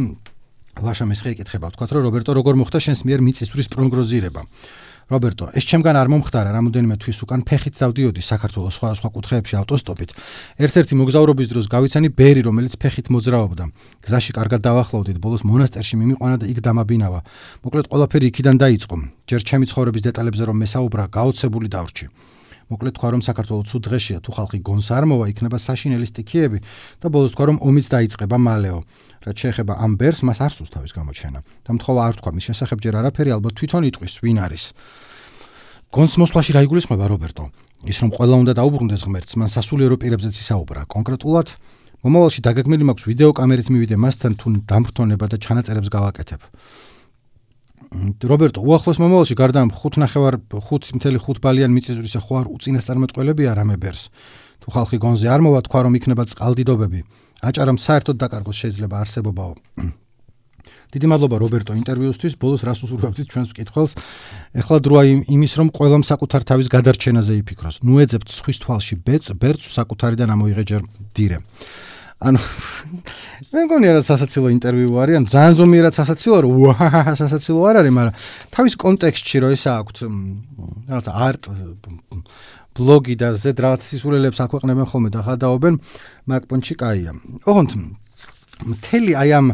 ლაშა მესხი ეკითხება, თქვა რომ რობერტო როგორ მოხდა შენს მიერ მიწისძვრის პროგნოზირება. რობერტო, ეს ჩემგან არ მომხდარა, რამოდენიმე თვის უკან ფეხით დავდიოდი საქართველოს სხვადასხვა კუთხეებში ავტოსტოპით. ერთ-ერთი მოგზაურობის დროს გავიცანი ბერი, რომელიც ფეხით მოძრაობდა. გზაში კარგად დავახლოვდით, ბოლოს მონასტერში მიმიყვანა და იქ დამაბინავა. მოკლედ ყველაფერი იქიდან დაიწყო. ჯერ ჩემი ცხოვრების დეტალებზე რომ მესაუბრა, გაოცებული დავრჩი. მოკლედ თქვა რომ საქართველოს ცუდ დღეშია, თუ ხალხი გონს არ მოვა, იქნება საშინელი სტიქიები და ბოლოს თქვა რომ ომიც დაიწყება მალეო. რაც შეეხება ამ ბერს, მას არ სურს თავის გამოჩენა. და მთხოვა არ თქვა მის შესახებ ჯერ არაფერი, ალბათ თვითონ იტყვის, ვინ არის. გონს მოსვლაში რა იგულისხმება რობერტო? ის რომ ყველა უნდა დაუბრუნდეს ღმერთს, მან სასულიერო პირებზეც ისაუბრა. კონკრეტულად, მომავალში დაგეგმილი მაქვს ვიდეო კამერით მივიდე მასთან თუ დამფრთოვნება და ჩანაწერებს გავაკეთებ. რობერტო, უახლოს მომავალში გარდა ამ ხუთ ნახევარ ხუთი წუთი ხუთ ბალიან მიწისძვრისა ხო არ უწინასწარმეტყველებია რამე ბერს. თუ ხალხი გონზე არ მოვა, თქვა რომ იქნება წყალდიდობები. აჭარამ საერთოდ დაკარგოს შეიძლება არსებობაო. დიდი მადლობა რობერტო ინტერვიუსთვის, ბოლოს რას უსურვებთ ჩვენს მკითხველს. ეხლა დროა იმის რომ ყველამ საკუთარ თავის გადარჩენაზე იფიქროს. ნუ ეძებთ სხვის თვალში ბერწს საკუთარიდან ამოიღე ჯერ დირე. ანუ მე მგონი რა სასაცილო ინტერვიუ არის, ან ძალიან ზომიერად სასაცილო, რომ უაჰა სასაცილო არ არის, მაგრამ თავის კონტექსტში რო ესა აქვთ რაღაცა არტ ბლოგი და ზედ რაღაც სისულელებს აქვეყნებენ ხოლმე და ხადაობენ, მაგ პონჩი კაია. ოღონდ მთელი აი ამ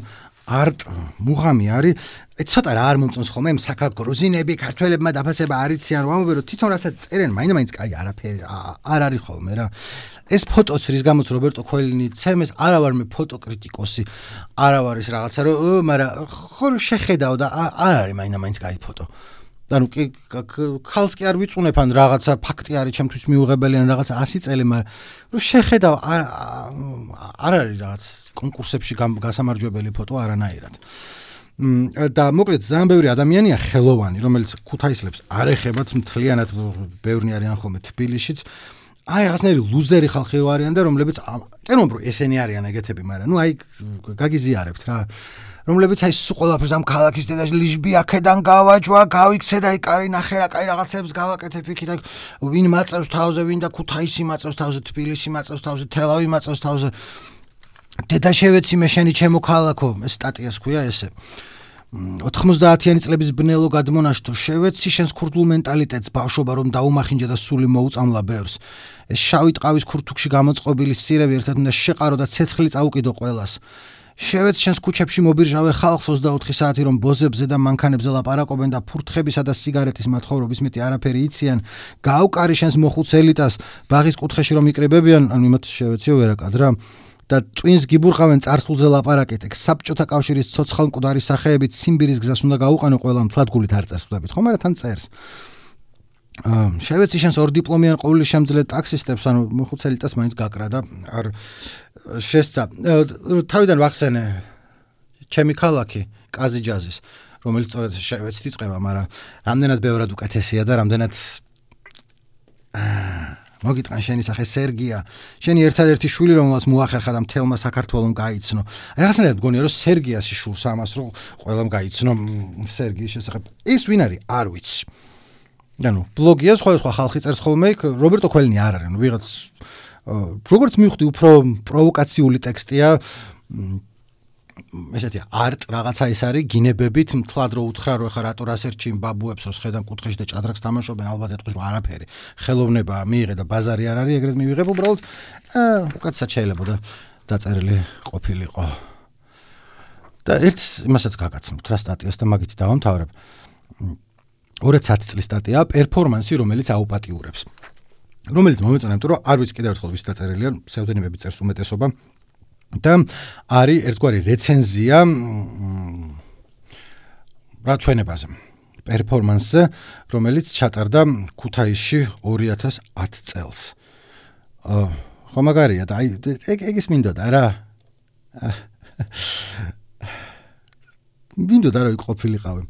არტ მუღამი არის, ცოტა რა არ მომწონს ხოლმე იმ საქა გრუზინები, ქართველებმა დაფასება არ იციან, რომ ამბობენ რომ თვითონ რასაც წერენ, მაინდა-მაინც კაი არაფერი არ არის ხოლმე რა. ეს ფოტოც რის გამოც რობერტო ქველინი ცემეს, არა ვარ მე ფოტოკრიტიკოსი, არა ვარ ის რაღაცა რომ, მაგრამ ხო შეხედავ და არ არის მაინდა-მაინც კაი ფოტო. ანუ კი ხალხს კი არ ვიწუნებ ან რაღაცა ფაქტი არის ჩემთვის მიუღებელი ან რაღაცა ასი წელი, მაგრამ რომ შეხედავ არ არ არის რაღაც კონკურსებში გასამარჯვებელი ფოტო არანაირად. და მოკლედ ძალიან ბევრი ადამიანია ხელოვანი, რომელიც ქუთაისლებს არ ეხებათ მთლიანად, ბევრი არიან ხოლმე თბილისშიც. აი რაღაცნაირი ლუზერი ხალხი რო არიან და რომლებიც წერომ რომ ესენი არიან ეგეთები, მაგრამ ნუ აი გაგიზიარებთ რა. რომლებიც აი სულ ყველაფერს ამ ქალაქის დედაში ლიჟბი აქედან გავაჯვა, გავიქცე და აი კარი ნახე რა, კაი რაღაცებს გავაკეთებ იქით, აი ვინ მაწევს თავზე, ვინ და ქუთაისი მაწევს თავზე, თბილისი მაწევს თავზე, თელავი მაწევს თავზე. დედაშევეცი მე შენი ჩემო ქალაქო, ეს სტატიას ქვია ესე. ოთხმოცდაათიანი წლების ბნელო გადმონაშთო შევეცი შენს ქურდულ მენტალიტეტს ბავშვობა რომ დაუმახინჯა და სული მოუწამლა ბევრს. ეს შავი ტყავის ქურთუქში გამოწყობილი სირევი ერთად უნდა შეყარო და ცეცხლი წაუკიდო ყველას. შევეცი შენს ქუჩებში მობირჟავე ხალხს ოცდაოთხი საათი რომ ბოზებზე და მანქანებზე ლაპარაკობენ და ფურთხებისა და სიგარეტის მათხოვრობის მეტი არაფერი იციან. გავკარი შენს მოხუც ელიტას ბაღის კუთხეში რომ იკრებებიან, ანუ იმათ შევეციო ვერაკად რა. და ტვინს გიბურყავენ წარსულზე ლაპარაკეთ, ეგ საბჭოთა კავშირის ცოცხალ მკვდარი სახეებით ციმბირის გზას უნდა გაუყენო ყველამ, თვალგულით არ წერს ხვდებით, ხო, მაგრამ თან წერს. შევეცი შენს ორ დიპლომიან ყოვლის შემძლე ტაქსისტებს, ანუ მოხუც ელიტას მაინც გაკრა და არ შესცა. თავიდან ვახსენე ჩემი ქალაქი კაზიჯაზის, რომელიც სწორედ შევეცით იწყება, მაგრამ რამდენად ბევრად უკეთესია და რამდენად მოგიტყან შენი სახე სერგია, შენი ერთადერთი შვილი რომელსაც მოახერხა და მთელმა საქართველომ გაიცნო. აი რაღაცნაირად მგონია რომ სერგიას იშურს ამას რომ ყველამ გაიცნო სერგიის შესახებ. ის ვინ არის? არ ვიცი. ანუ ბლოგია სხვადასხვა ხალხი წერს ხოლმე იქ, რობერტო ქველინი არ არის, ნუ ვიღაც როგორც მივხვდი უფრო პროვოკაციული ტექსტია. ესეთი არტ რაღაცა ის არის, გინებებით, მთლად რო უთხრა რომ ეხა რატო რასერჩი ბაბუებს რო შედან კუთხეში და ჭადრაკს თამაშობენ, ალბათ ეტყვის რომ არაფერი. ხელოვნება მიიღე და ბაზარი არ არის, ეგრეთ მივიღებ უბრალოდ უკეთესად შეიძლება და დაწერილი ყოფილიყო. და ერთ იმასაც გაგაცნობთ რა სტატიას და მაგით დავამთავრებ. ორ ათი წლის სტატია პერფორმანსი, რომელიც აუპატიურებს. რომელიც მომეწონა, იმიტომ რომ არ ვიცი კიდევ ერთხელ ვის დაწერილია, ფსევდონიმები წერს უმეტესობა. და არის ერთგვარი რეცენზია რა ჩვენებაზე პერფორმანსზე, რომელიც ჩატარდა ქუთაისში ორი ათას ათი წელს. ხო მაგარია და აი ეგ ეგ ის მინდოდა რა. მინდოდა რა ყოფილიყავი.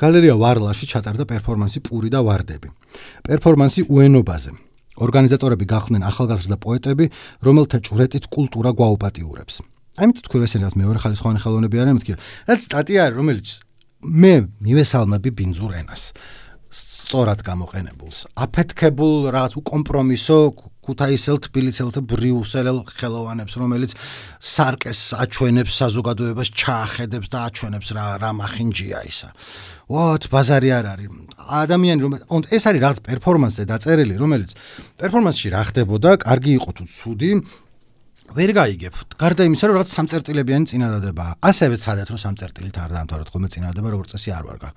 გალერეა ვარლაში ჩატარდა პერფორმანსი პური და ვარდები. პერფორმანსი უენობაზე. ორგანიზატორები გახდნენ ახალგაზრდა პოეტები, რომელთა ჭვრეტით კულტურა გვაუპატიურებს. ამით თქვი რომ ესენი რაც მეორე ხალისხოვანი ხელოვნები არიან, მეთქი. რაც სტატია არის, რომელიც მე მივესალმები ბინძურ ენას. სწორად გამოყენებულს, აფეთქებულ, რაღაც უკომპრომისო, ქუთაისელ, თბილისელ და ბრიუსელ ხელოვანებს, რომელიც სარკეს აჩვენებს, საზოგადოებას ჩაახედებს და აჩვენებს რა რა მახინჯია ისა. ვოთ, ბაზარი არ არის. ადამიანი რომ ეს არის რაღაც პერფორმანსზე დაწერილი, რომელიც პერფორმანსში რა ხდებოდა, კარგი იყო თუ ცუდი, ვერ გაიგებ. გარდა იმისა, რომ რაღაც სამწერტილებიანი წინადადებაა. ასევე ცადეთ რომ სამწერტილით არ დაამთავროთ ხოლმე წინადადება, როგორც წესი არ ვარგა.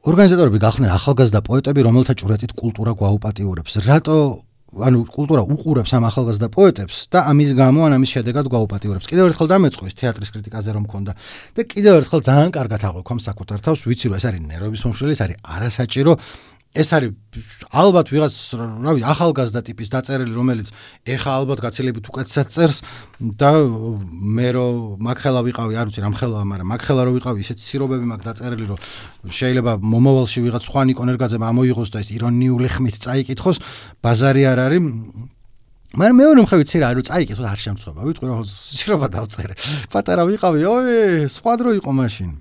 ორგანიზატორები გახდნენ ახალგაზრდა პოეტები, რომელთა ჭვრეტით კულტურა გვაუპატიურებს. რატო ანუ კულტურა უყურებს ამ ახალგაზრდა პოეტებს და ამის გამო ან ამის შედეგად გვაუპატიურებს. კიდევ ერთხელ დამეწყვის თეატრის კრიტიკაზე რომ მქონდა და კიდევ ერთხელ ძალიან კარგად აღვიქვამ საკუთარ თავს, ვიცი რომ ეს არის ნერვების მომშლელი, ეს არის არასაჭირო, ეს არის ალბათ ვიღაც რავი ახალგაზრდა ტიპის დაწერილი, რომელიც ეხა ალბათ გაცილებით უკეთესად წერს და მე რომ მაგხელა ვიყავი, არ ვიცი რამ ხელაა, მაგრამ მაგხელა რომ ვიყავი, ისეთი სირობები მაქვს დაწერილი, რომ შეიძლება მომავალში ვიღაც სხვა ნიკო ნერგაძემ ამოიღოს და ეს ირონიული ხმით წაიკითხოს, ბაზარი არ არის. მაგრამ მეორე მხრივ ვიცი რა, რომ წაიკითხოს არ შემწვება. ვიტყვი რომ სირობა დავწერე. პატარა ვიყავი, ой, სხვა დრო იყო მაშინ.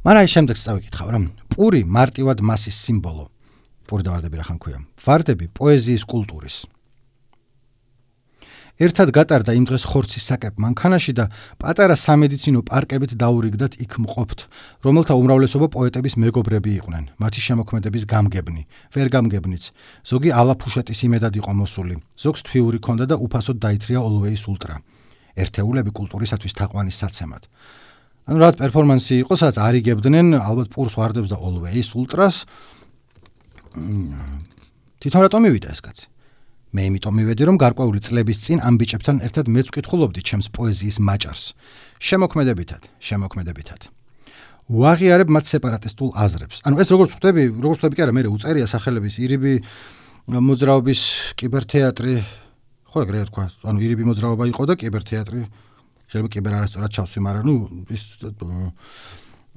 მაგრამ შემდეგს წავიკითხავ რა. პური მარტივად მასის სიმბოლო. პური და ვარდები რა ხან ქვია. ვარდები პოეზიის კულტურის. ერთად გატარდა იმ დღეს ხორცის საკებ მანქანაში და პატარა სამედიცინო პარკებით დაურიგდათ იქ მყოფთ, რომელთა უმრავლესობა პოეტების მეგობრები იყვნენ, მათი შემოქმედების გამგებნი, ვერ გამგებნიც. ზოგი ალაფუშეტის იმედად იყო მოსული, ზოგს თვიური ქონდა და უფასოდ დაითრია Always Ultra. ერთეულები კულტურისათვის თაყვანის საცემად. ანუ რაც პერფორმანსი იყო, სადაც არიგებდნენ ალბათ პურს ვარდებს და Always Ultras. თვითონ რატომ მივიდა ეს კაცი? მე იმიტომ მივედი, რომ გარკვეული წლების წინ ამ ბიჭებთან ერთად მეც ვკითხულობდი ჩემს პოეზიის მაჭარს. შემოქმედებითად, შემოქმედებითად. ვაღიარებ მათ სეპარატისტულ აზრებს. ანუ ეს როგორც ხვდები, როგორც ხვდები კი არა, მე უწერია სახელების ირიბი მოძრაობის კიბერთეატრი, ხო ეგრე თქვა, ანუ ირიბი მოძრაობა იყო და კიბერთეატრი. შეიძლება კიბერ არასწორად ჩავსვი, მაგრამ ნუ ის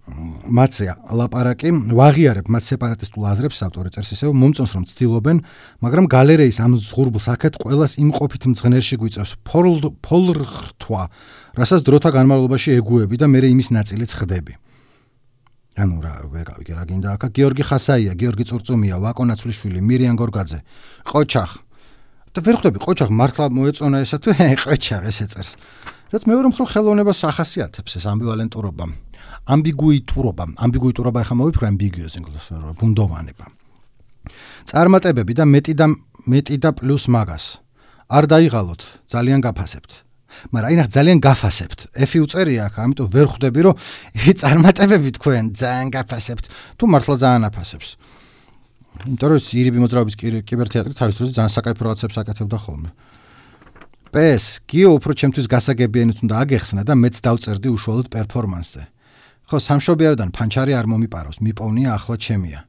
მათზე ლაპარაკი, ვაღიარებ მათ სეპარატისტულ აზრებს, ავტორი წერს ისევ, მომწონს რომ ცდილობენ, მაგრამ გალერეის ამ ზღურბლს აქეთ ყველას იმყოფით მძღნერში გვიწევს ფოლრხთვა, რასაც დროთა განმავლობაში ეგუები და მე იმის ნაწილიც ხდები. ანუ რა ვერ გავიგე რა გინდა აქა, გიორგი ხასაია, გიორგი წურწუმია, ვაკო ნაცვლიშვილი, მირიან გორგაძე, ყოჩახ. და ვერ ხვდები ყოჩახ მართლა მოეწონა ესა თუ ყოჩახ ესე წერს. რაც მეორე მხრივ ხელოვნებას ახასიათებს ეს ამბივალენტურობა. ამბიგუიტურობა, ამბიგუიტურობა ახლა მოვიფიქრე ambiguous ინგლისურად, ბუნდოვანება. წარმატებები და მეტი და მეტი და პლუს მაგას. არ დაიღალოთ, ძალიან გაფასებთ. მაგრამ აი ნახ ძალიან გაფასებთ. F-ი უწერია აქ, ამიტომ ვერ ხვდები რომ წარმატებები თქვენ ძალიან გაფასებთ, თუ მართლა ძალიან აფასებს. იმიტომ რომ ირიბი მოძრაობის კიბერთეატრი თავის დროზე ძალიან საკაიფო რაღაცებს აკეთებდა ხოლმე. პეს, გიო უფრო ჩემთვის გასაგებიანით უნდა აგეხსნა და მეც დავწერდი უშუალოდ პერფორმანსზე. ხო, სამშობიაროდან ფანჩარი არ მომიპაროს, მიპოვნია ახლა ჩემია.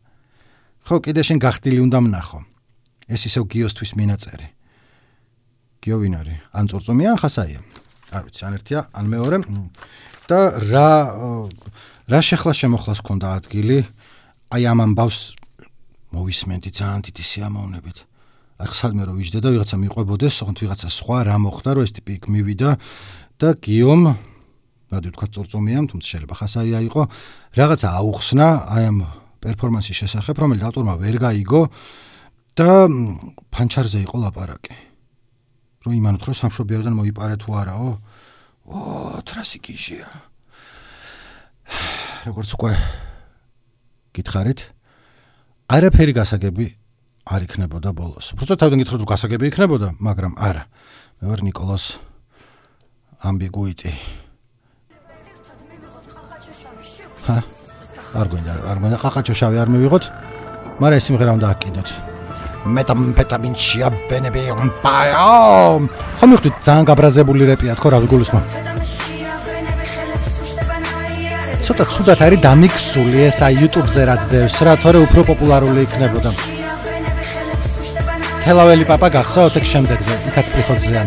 ხო, კიდე შენ გახდილი უნდა ვნახო. ეს ისევ გიოსთვის მინაწერი. გიო ვინ არის? ან წურწუმია, ან ხასაია. არ ვიცი, ან ერთია, ან მეორე. და რა რა შეხლა შემოხლას ქონდა ადგილი? აი ამ ამბავს მოვისმენდი ძალიან დიდი სიამოვნებით. აქ სადმე რომ ვიждე და ვიღაცა მიყვებოდეს, ოღონდ ვიღაცა სხვა რა მოხდა, რომ ეს ტიპი იქ მივიდა და გიომ რადი თქვა წურწუმია, თუმცა შეიძლება ხასაია იყო, რაღაცა აუხსნა აი ამ პერფორმანსის შესახებ, რომელიც ავტორმა ვერ გაიგო და ფანჩარზე იყო ლაპარაკი. რომ იმანოთ, რომ სამშობიაროდან მოიპარე თუ არაო? ო, თრასი გიჟია. როგორც უკვე გითხარით, არაფერი გასაგები არ იქნებოდა ბოლოს. უბრალოდ თავიდან გითხრათ, რომ გასაგები იქნებოდა, მაგრამ არა. მე ვარ ნიკოლას ამბიგუიტი. ჰა? არ გვინდა, არ გვინდა ყაყაჩოშავი არ მივიღოთ, მაგრამ ეს სიმღერა უნდა აკიდოთ. მეტამფეტამინ შეაბენები ამპაიო. ხო მივხვდით, ძალიან გაბრაზებული რეპია, თქო რა გულისხმობ. ცოტა ცუდად არის დამიქსული ეს აი YouTube-ზე რაც დევს რა, თორე უფრო პოპულარული იქნებოდა. თელაველი პაპა გახსოვთ ეგ შემდეგზე, იქაც პრიხოძეან.